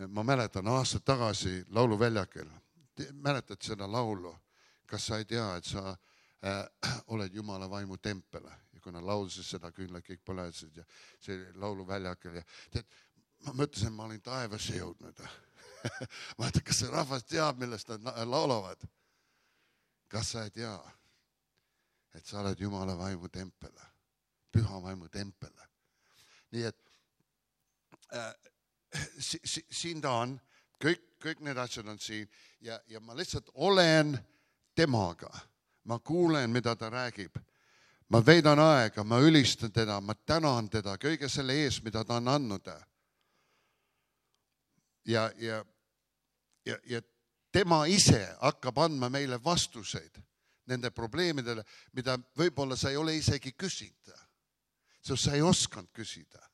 Ma mäletan aastad tagasi lauluväljakil. Mäletad seda laulu? Kas sa ei tea, et sa äh, oled Jumala vaimu tempel? Ja kui nad laulsid seda, küll kõik põlesid ja see lauluväljakil. Ja tead, ma mõtlesin, ma olin taevasse jõudnud. Ma mõtlen, kas see rahvas teab, millest nad laulavad? Kas sa ei tea, et sa oled Jumala vaimu tempel? Püha vaimu tempel. Nii et äh, Si, si, siin ta on, kõik, kõik need asjad on siin ja, ja ma lihtsalt olen temaga. Ma kuulen, mida ta räägib. Ma veidan aega, ma ülistan teda, ma tänan teda kõige selle ees, mida ta on andnud. Ja, ja, ja, ja tema ise hakkab andma meile vastuseid nende probleemidele, mida võib-olla sa ei ole isegi küsida. Sest sa ei oskanud küsida.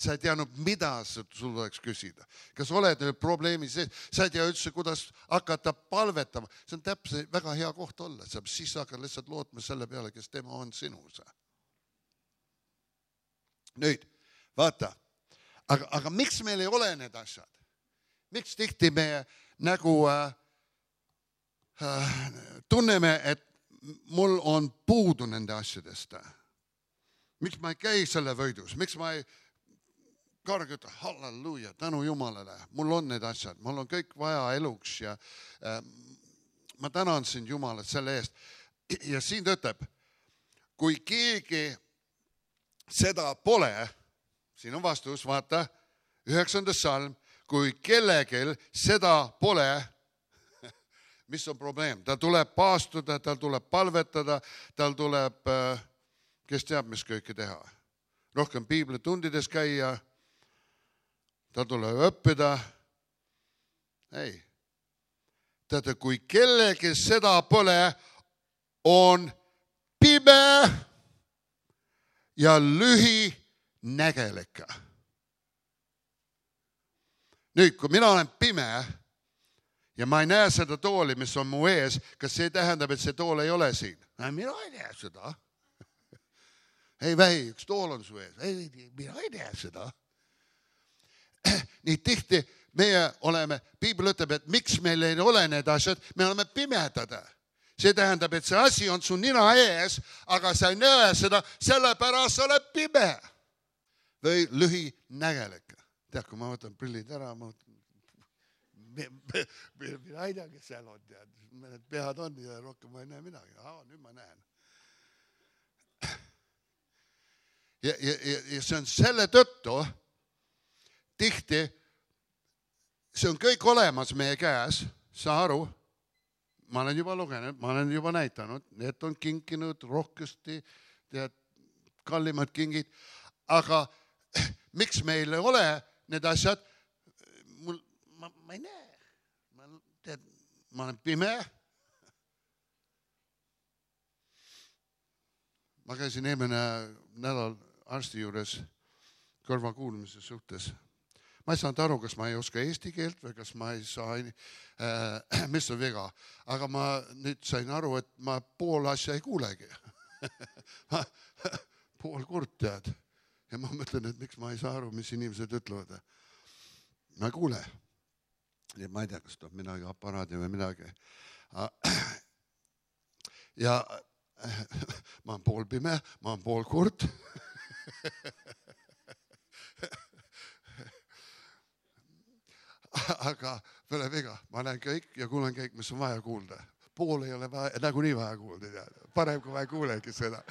Sa ei teadnud, mida sul tuleks küsida. Kas oled probleemi sees? Sa ei tea üldse, kuidas hakata palvetama. See on täpselt väga hea koht olla. Siis hakkad lihtsalt lootma selle peale, kes tema on sinus. Nüüd, vaata. Aga, aga miks meil ei ole need asjad? Miks tihti me nagu äh, äh, tunneme, et mul on puudu nende asjadest? Miks ma ei käi selle võidus? Miks ma ei karga ütle, halleluuja, tänu Jumalale, mul on need asjad, mul on kõik vaja eluks ja äh, ma tänan sind Jumalat selle eest. Ja siin ta ütleb, kui keegi seda pole, siin on vastus, vaata, üheksandas salm, kui kellegil seda pole, mis on probleem? Tal tuleb paastuda, tal tuleb palvetada, tal tuleb, äh, kes teab, mis kõike teha. Rohkem piiblitundides käia, ta tuleb õppida. Ei. Teate, kui kellegi seda pole, on pime ja lühinägelik. Nüüd, kui mina olen pime ja ma ei näe seda tooli, mis on mu ees, kas see tähendab, et see tool ei ole siin? Mina ei näe seda. Ei vähi, üks tool on su ees. Ei, mina ei näe seda. Nii tihti meie oleme, Piibel ütleb, et miks meil ei ole need asjad, me oleme pimedad. See tähendab, et see asi on su nina ees, aga sa ei näe seda, sellepärast sa oled pime. Või lühinägelik. Tead, kui ma võtan prillid ära, ma mina ei tea, kes seal on. Need pead on ja rohkem ma ei näe midagi. Aa, nüüd ma näen. Ja, ja, ja see on selle tõttu, tihti, see on kõik olemas meie käes, sa aru, ma olen juba lugenud, ma olen juba näitanud, need on kinkinud rohkesti, tead, kallimad kingid, aga miks meil ei ole need asjad, mul, ma, ma ei näe, ma, tead, ma olen pime, ma käisin eelmine nädal arsti juures kõrvakuulmise suhtes. Ma ei saanud aru, kas ma ei oska eesti keelt või kas ma ei saa, äh, mis on viga. Aga ma nüüd sain aru, et ma pool asja ei kuulegi. pool kurt tead. Ja ma mõtlen, et miks ma ei saa aru, mis inimesed ütlevad. Ma ei kuule. Ja ma ei tea, kas tuleb midagi aparaadi või midagi. Ja ma olen pool pime, ma olen pool kurt. Aga pole viga, ma näen kõik ja kuulen kõik, mis on vaja kuulda. Pool ei ole vaja, nagu nii vaja kuulda. Parem, kui ma ei kuulegi seda.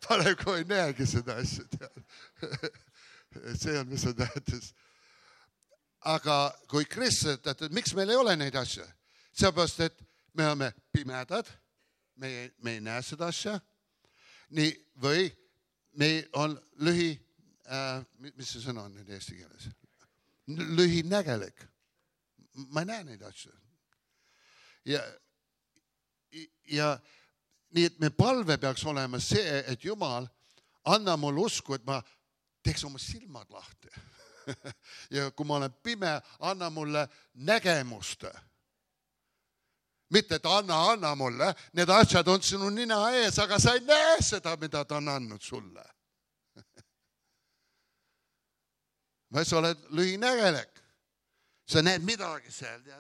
Parem, kui ei näegi seda asja. See on, mis on tähtis. Aga kui kristlased, et miks meil ei ole neid asja? Seepärast, et me oleme pimedad, me ei, me ei näe seda asja. Nii, või me on lühi, äh, mis see sõna on nüüd eesti keeles? Lühinägelik. Ma ei näe neid asju. Ja, ja nii, et me palve peaks olema see, et Jumal, anna mulle usku, et ma teeks oma silmad lahti. Ja kui ma olen pime, anna mulle nägemust. Mitte, et anna, anna mulle, need asjad on sinu nina ees, aga sa ei näe seda, mida ta on andnud sulle. Või sa oled lühinägelik. Sa näed midagi seal. Ja...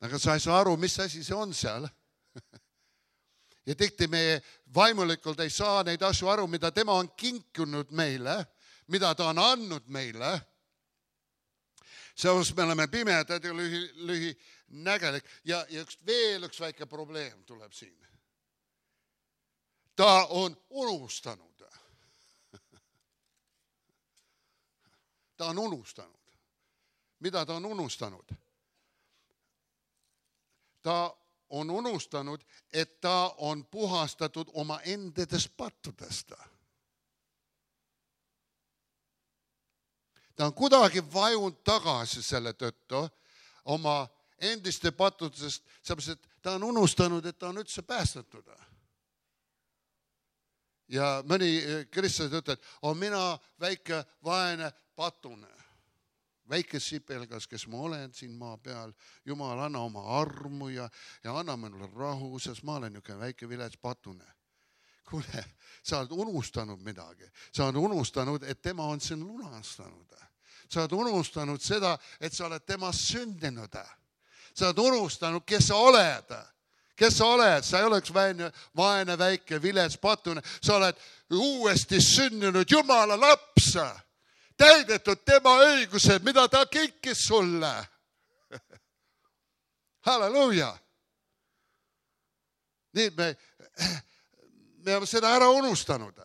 Aga sa ei saa aru, mis asi see on seal. Ja tihti me vaimulikult ei saa neid asju aru, mida tema on kinkunud meile, mida ta on andnud meile. Seos me oleme pimedad ja lühi, lühinägelik. Ja, ja üks, veel üks väike probleem tuleb siin. Ta on unustanud. Ta on unustanud. Mida ta on unustanud? Ta on unustanud, et ta on puhastatud oma endedest pattudest. Ta on kuidagi vajunud tagasi selle tõttu oma endiste pattudest, sellepärast, et ta on unustanud, et ta on üldse päästetud. Ja mõni kristlased ütlevad, on mina väike vaene patune. Väike sipelgas, kes ma olen siin maa peal. Jumal, anna oma armu ja, ja anna mulle rahu, sest ma olen niisugune väike vilets patune. Kuule, sa oled unustanud midagi. Sa oled unustanud, et tema on sind lunastanud. Sa oled unustanud seda, et sa oled temast sündinud. Sa oled unustanud, kes sa oled. Kes sa oled? Sa ei oleks vaene, vaene väike vilets patune. Sa oled uuesti sündinud Jumala laps. Täidetud tema õigused, mida ta kinkis sulle. Halleluuja. Nii, me, me oleme seda ära unustanud.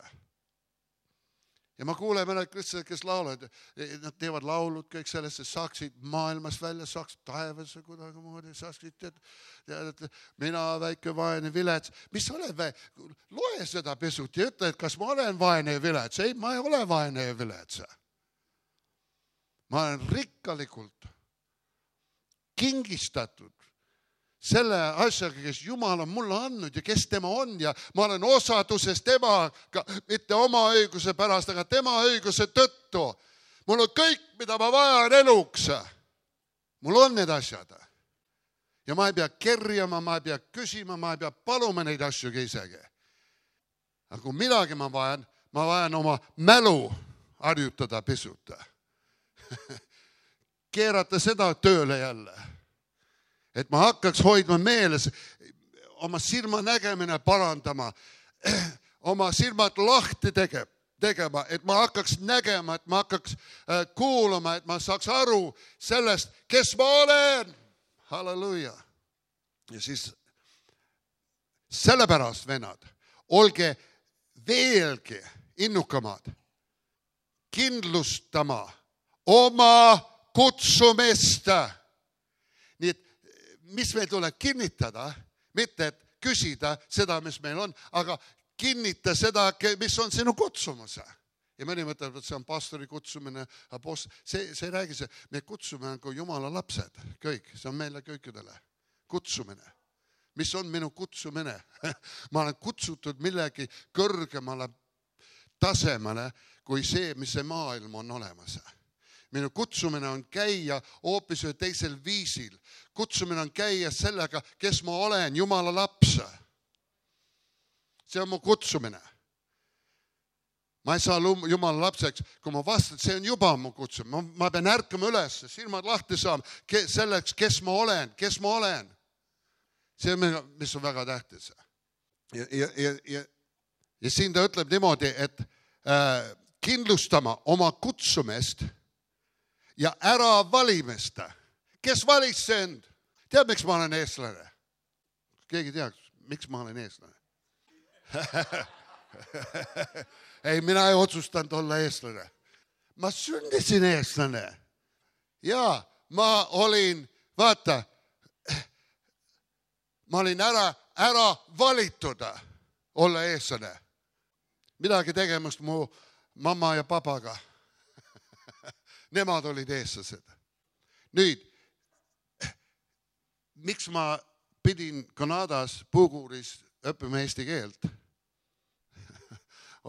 Ja ma kuulen mõned kristlased, kes laulavad, nad teevad laulud kõik sellest, saaksid maailmas välja, saaksid taevasse kuidagi moodi, saaksid, et, et mina väike vaene vilets. Mis oled vä... Loe seda pisut ja ütle, et kas ma olen vaene ja vilets. Ei, ma ei ole vaene ja vilets. Ma olen rikkalikult kingistatud selle asjaga, kes Jumal on mulle andnud ja kes tema on ja ma olen osaduses temaga, mitte oma õiguse pärast, aga tema õiguse tõttu. Mul on kõik, mida ma vajan eluks. Mul on need asjad. Ja ma ei pea kerjama, ma ei pea küsima, ma ei pea paluma neid asju isegi. Aga kui midagi ma vajan, ma vajan oma mälu harjutada pisut. Keerata seda tööle jälle. Et ma hakkaks hoidma meeles, oma silma nägemine parandama, oma silmad lahti tege, tegema, et ma hakkaks nägema, et ma hakkaks äh, kuulama, et ma saaks aru sellest, kes ma olen. Halleluja. Ja siis sellepärast, vennad, olge veelgi innukamad kindlustama oma kutsumist. Nii et mis meil tuleb kinnitada, mitte et küsida seda, mis meil on, aga kinnita seda, mis on sinu kutsumus. Ja mõni mõtleb, et see on pastori kutsumine, apost... see, see ei räägi see, me kutsume kui Jumala lapsed, kõik, see on meile kõikidele. Kutsumine. Mis on minu kutsumine? Ma olen kutsutud millegi kõrgemale tasemele kui see, mis see maailm on olemas. Minu kutsumine on käia hoopis ühe teisel viisil. Kutsumine on käia sellega, kes ma olen, Jumala laps. See on mu kutsumine. Ma ei saa Jumala lapseks, kui ma vastan, see on juba mu kutsumine. Ma, ma pean ärkama üles, silmad lahti saama selleks, kes ma olen, kes ma olen. See on, mis on väga tähtis. Ja, ja, ja, ja, ja siin ta ütleb niimoodi, et äh, kindlustama oma kutsumist ja ära valimist. Kes valis see end? Tead, miks ma olen eestlane? Keegi teaks, miks ma olen eestlane? Ei, mina ei otsustanud olla eestlane. Ma sündisin eestlane. Ja ma olin, vaata, ma olin ära, ära valitud olla eestlane. Midagi tegemist mu mamma ja papaga. Nemad olid eestlased. Nüüd, miks ma pidin Kanadas Puuguuris õppima eesti keelt?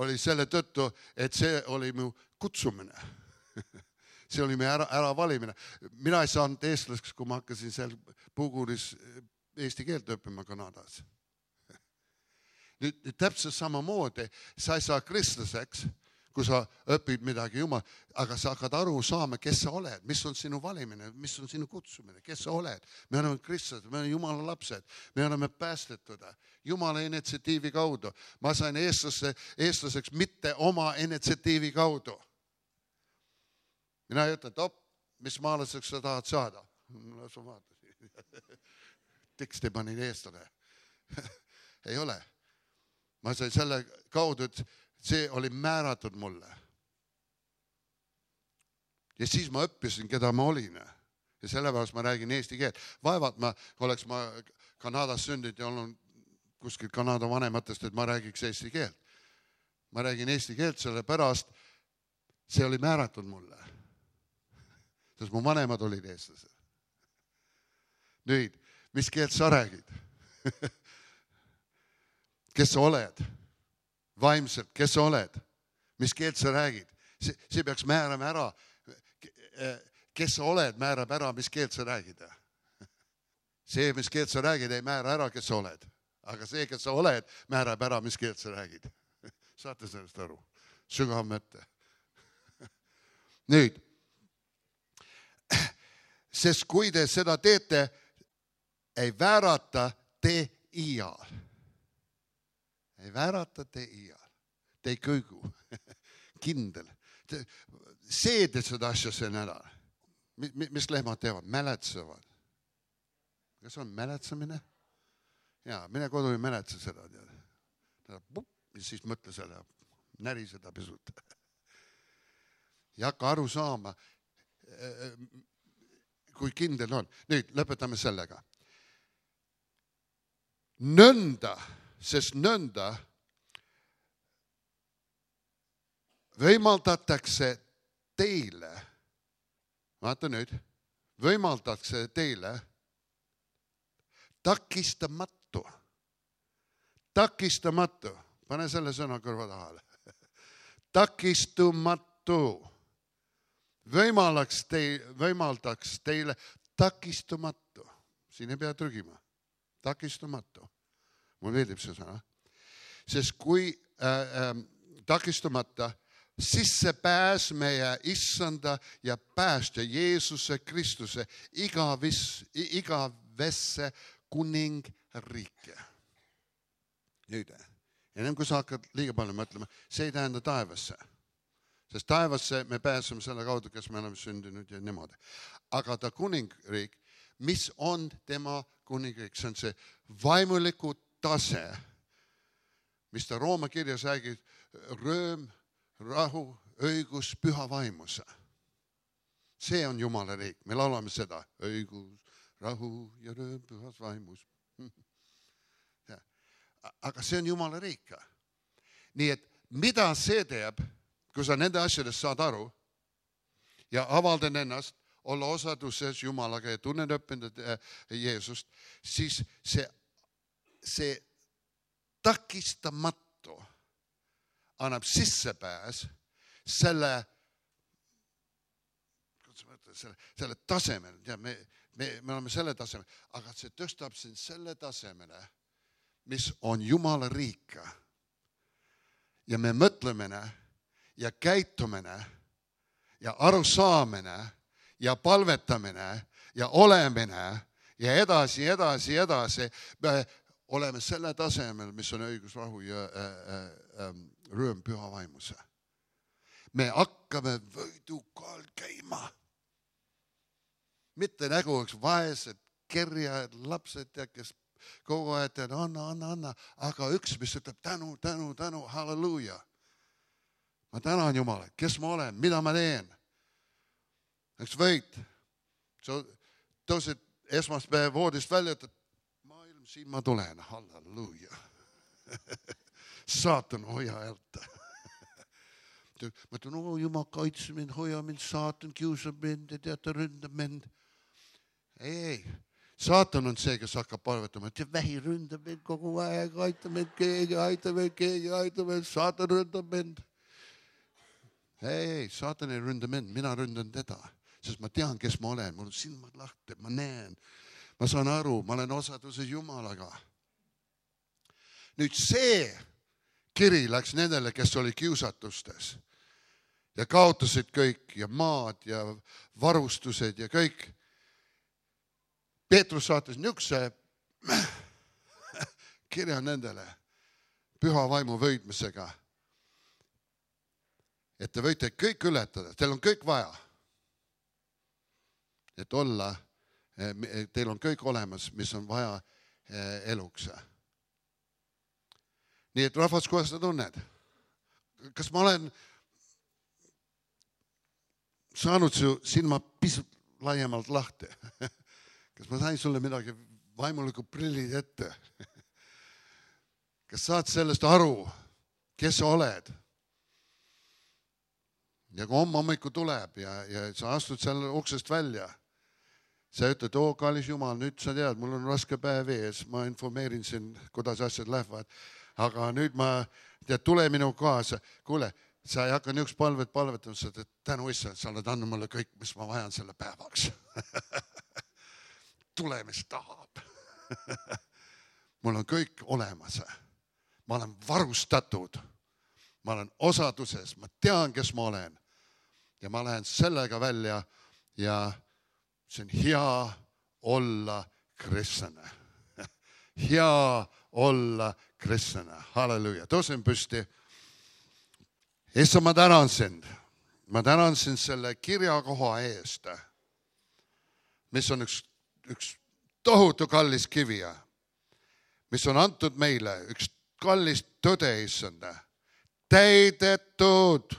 Oli selle tõttu, et see oli mu kutsumine. See oli mu ära, ära valimine. Mina ei saanud eestlaseks, kui ma hakkasin seal Puuguuris eesti keelt õppima Kanadas. Nüüd, nüüd täpselt samamoodi, sa ei saa kristlaseks, kui sa õpid midagi Jumal, aga sa hakkad aru saama, kes sa oled, mis on sinu valimine, mis on sinu kutsumine, kes sa oled. Me oleme kristlased, me oleme Jumala lapsed, me oleme päästetud Jumala initsiatiivi kaudu. Ma sain eestlase, eestlaseks mitte oma initsiatiivi kaudu. Mina ei ütle, et op, mis maalaseks sa tahad saada? No, sa vaatasid. Teksti panin eestlane. Ei ole. Ma sain selle kaudu, et see oli määratud mulle. Ja siis ma õppisin, keda ma olin. Ja sellepärast ma räägin eesti keelt. Vaevalt ma, oleks ma Kanadas sündinud ja olnud kuskil Kanada vanematest, et ma räägiks eesti keelt. Ma räägin eesti keelt sellepärast, see oli määratud mulle. Sest mu vanemad olid eestlased. Nüüd, mis keelt sa räägid? Kes sa oled? Vaimselt, kes sa oled? Mis keelt sa räägid? See, see peaks määrama ära. Kes sa oled, määrab ära, mis keelt sa räägid. See, mis keelt sa räägid, ei määra ära, kes sa oled. Aga see, kes sa oled, määrab ära, mis keelt sa räägid. Saate sellest aru? Sügav mõte. Nüüd, sest kui te seda teete, ei väärata te iial. Ei väärata te iial. Te ei kõigu. Kindel. See teed seda asja see nädal. Mis lehmad teevad? Mäletsevad. Kas on mäletsemine? Jaa, mine kodu ei mäletse seda. Ja siis mõtle selle. Näri seda pisut. Ja hakka aru saama, kui kindel on. Nüüd lõpetame sellega. Nõnda, sest nõnda võimaldatakse teile, vaata nüüd, võimaldatakse teile takistamatu, takistamatu, pane selle sõna kõrva tahale, takistumatu, võimaldaks teile, võimaldaks teile takistumatu, siin ei pea trügima, takistumatu. Mul meeldib see sõna. Sest kui äh, äh, takistumata sisse pääs meie issanda ja päästja Jeesuse Kristuse igavis, igavesse kuningriike. Nüüd, ennem kui sa hakkad liiga palju mõtlema, see ei tähenda taevasse. Sest taevasse me pääseme selle kaudu, kes me oleme sündinud ja niimoodi. Aga ta kuningriik, mis on tema kuningriik, see on see vaimuliku tase, mis ta Rooma kirjas räägib, rööm, rahu, õigus, püha vaimuse. See on Jumala riik. Me laulame seda. Õigus, rahu ja rööm, pühas vaimus. Aga see on Jumala riik. Nii et mida see teeb, kui sa nende asjadest saad aru ja avaldan ennast, olla osaduses Jumalaga ja tunnen õppinud Jeesust, siis see see takistamatu annab sissepääs selle selle, selle tasemel, ja me, me, me oleme selle tasemel, aga see tõstab sind selle tasemele, mis on Jumala riik. Ja me mõtlemine ja käitumine ja arusaamine ja palvetamine ja olemine ja edasi, edasi, edasi, me oleme selle tasemel, mis on õigus, rahu ja äh, äh, rõõm püha vaimuse. Me hakkame võidukaal käima. Mitte nägu oleks vaesed, kerjad, lapsed, ja kes kogu aeg tead, anna, anna, anna, aga üks, mis ütleb tänu, tänu, tänu, halleluuja. Ma tänan Jumala, kes ma olen, mida ma teen. Eks võid, sa tõusid esmaspäev voodist välja, ütled, maailm, siin ma tulen, halleluuja. Saatan, hoia häält. Ma ütlen, oo, Jumal kaitse mind, hoia mind, saatan kiusab mind ja teata ründab mind. Ei, ei, saatan on see, kes hakkab palvetama, et vähi ründab mind kogu aeg, aita mind keegi, aita mind keegi, aita mind, saatan ründab mind. Ei, ei, saatan ei ründa mind, mina ründan teda, sest ma tean, kes ma olen, mul on silmad lahti, ma näen, ma saan aru, ma olen osaduses Jumalaga. Nüüd see kiri läks nendele, kes oli kiusatustes. Ja kaotasid kõik ja maad ja varustused ja kõik. Peetrus saatis niisuguse kirja nendele püha vaimu võidmisega, et te võite kõik ületada, teil on kõik vaja, et olla, teil on kõik olemas, mis on vaja eluks. Nii et rahvas, kuidas sa tunned? Kas ma olen saanud su silma pisut laiemalt lahti? Kas ma sain sulle midagi vaimuliku prillid ette? Kas saad sellest aru, kes sa oled? Ja kui homme hommiku tuleb ja, ja sa astud selle uksest välja, sa ütled, oo, kallis Jumal, nüüd sa tead, mul on raske päev ees, ma informeerin siin, kuidas asjad lähevad, aga nüüd ma, tead, tule minu kaasa, kuule, sa ei hakka niisugust palvet palvetama, sa teed tänu issand, sa oled andnud mulle kõik, mis ma vajan selle päevaks. Tule, mis tahab. Mul on kõik olemas. Ma olen varustatud. Ma olen osaduses. Ma tean, kes ma olen. Ja ma lähen sellega välja ja see on hea olla kristlane. Hea olla kristlane. Halleluuja. Tõusen püsti. Issa, ma tänan sind. Ma tänan sind selle kirjakoha eest, mis on üks, üks tohutu kallis kivi, mis on antud meile, üks kallis tõde, issand, täidetud,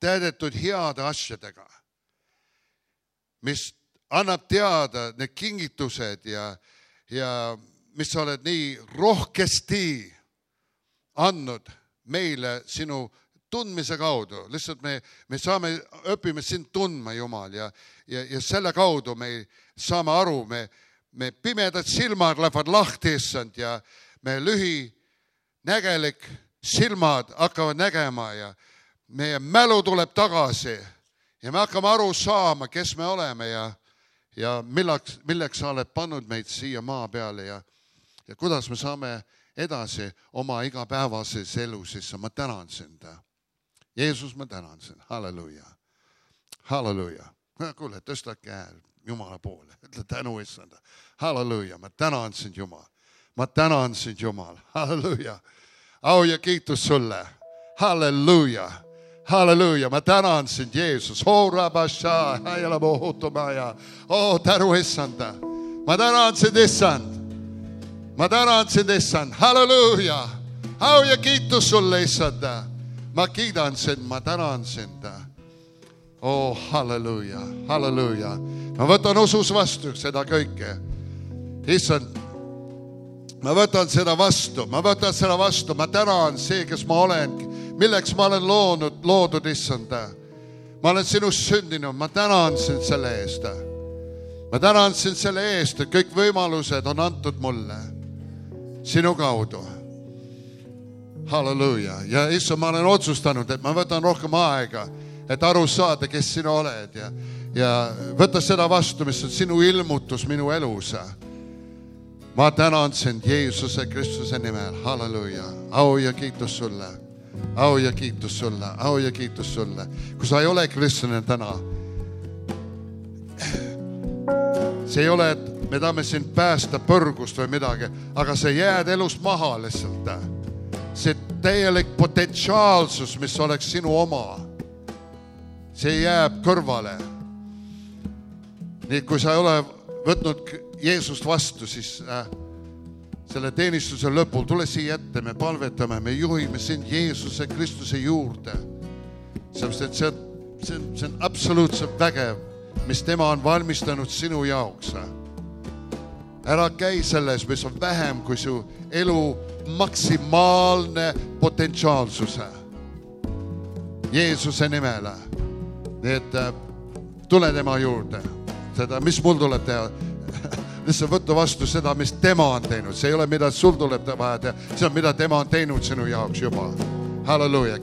täidetud heade asjadega, mis annab teada need kingitused ja, ja mis sa oled nii rohkesti andnud meile sinu tundmise kaudu. Lihtsalt me, me saame, õpime sind tundma, Jumal, ja, ja, ja selle kaudu me saame aru, me, me pimedad silmad lähevad lahti, issand, ja me lühinägelik silmad hakkavad nägema ja meie mälu tuleb tagasi ja me hakkame aru saama, kes me oleme ja, ja milleks, milleks sa oled pannud meid siia maa peale ja, ja kuidas me saame edasi oma igapäevases elus, issand, ma tänan sind. Jeesus, ma tänan sind. Halleluuja. Halleluuja. Kuule, tõsta käe Jumala poole. Ütle tänu, issand. Halleluuja. Ma tänan sind, Jumal. Ma tänan sind, Jumal. Halleluuja. Au ja kiitus sulle. Halleluuja. Halleluuja. Ma tänan sind, Jeesus. Oh, rabasha. Hajala bohutumaja. Oh, tänu, issand. Ma tänan sind, issand. Ma tänan sind, issand. Halleluuja. Au ja kiitus sulle, issand. Ma kiidan sind, ma tänan sind. Oh, halleluuja, halleluuja. Ma võtan usus vastu seda kõike. Issand, ma võtan seda vastu, ma võtan seda vastu. Ma tänan see, kes ma olen, milleks ma olen loonud, loodud, issand. Ma olen sinust sündinud, ma tänan sind selle eest. Ma tänan sind selle eest, et kõik võimalused on antud mulle sinu kaudu. Halleluuja. Ja issand, ma olen otsustanud, et ma võtan rohkem aega et aru saada, kes sina oled ja, ja võta seda vastu, mis on sinu ilmutus minu elus. Ma tänan sind Jeesuse Kristuse nimel. Halleluja. Au ja kiitus sulle. Au ja kiitus sulle. Au ja kiitus sulle. Kui sa ei ole kristlane täna, see ei ole, et me tahame sind päästa põrgust või midagi, aga sa jääd elust maha lihtsalt. See täielik potentsiaalsus, mis oleks sinu oma, see jääb kõrvale. Nii, kui sa ei ole võtnud Jeesust vastu, siis äh, selle teenistuse lõpul tule siia ette, me palvetame, me juhime sind Jeesuse Kristuse juurde. Sellepärast, et see, see, see on absoluutselt vägev, mis tema on valmistanud sinu jaoks. Ära käi selles, mis on vähem kui su elu maksimaalne potentsiaalsuse. Jeesuse nimele. Nii et äh, tule tema juurde. Seda, mis mul tuleb teha? Lihtsalt võtta vastu seda, mis tema on teinud. See ei ole, mida sul tuleb vaja teha. See on, mida tema on teinud sinu jaoks juba. Halleluja.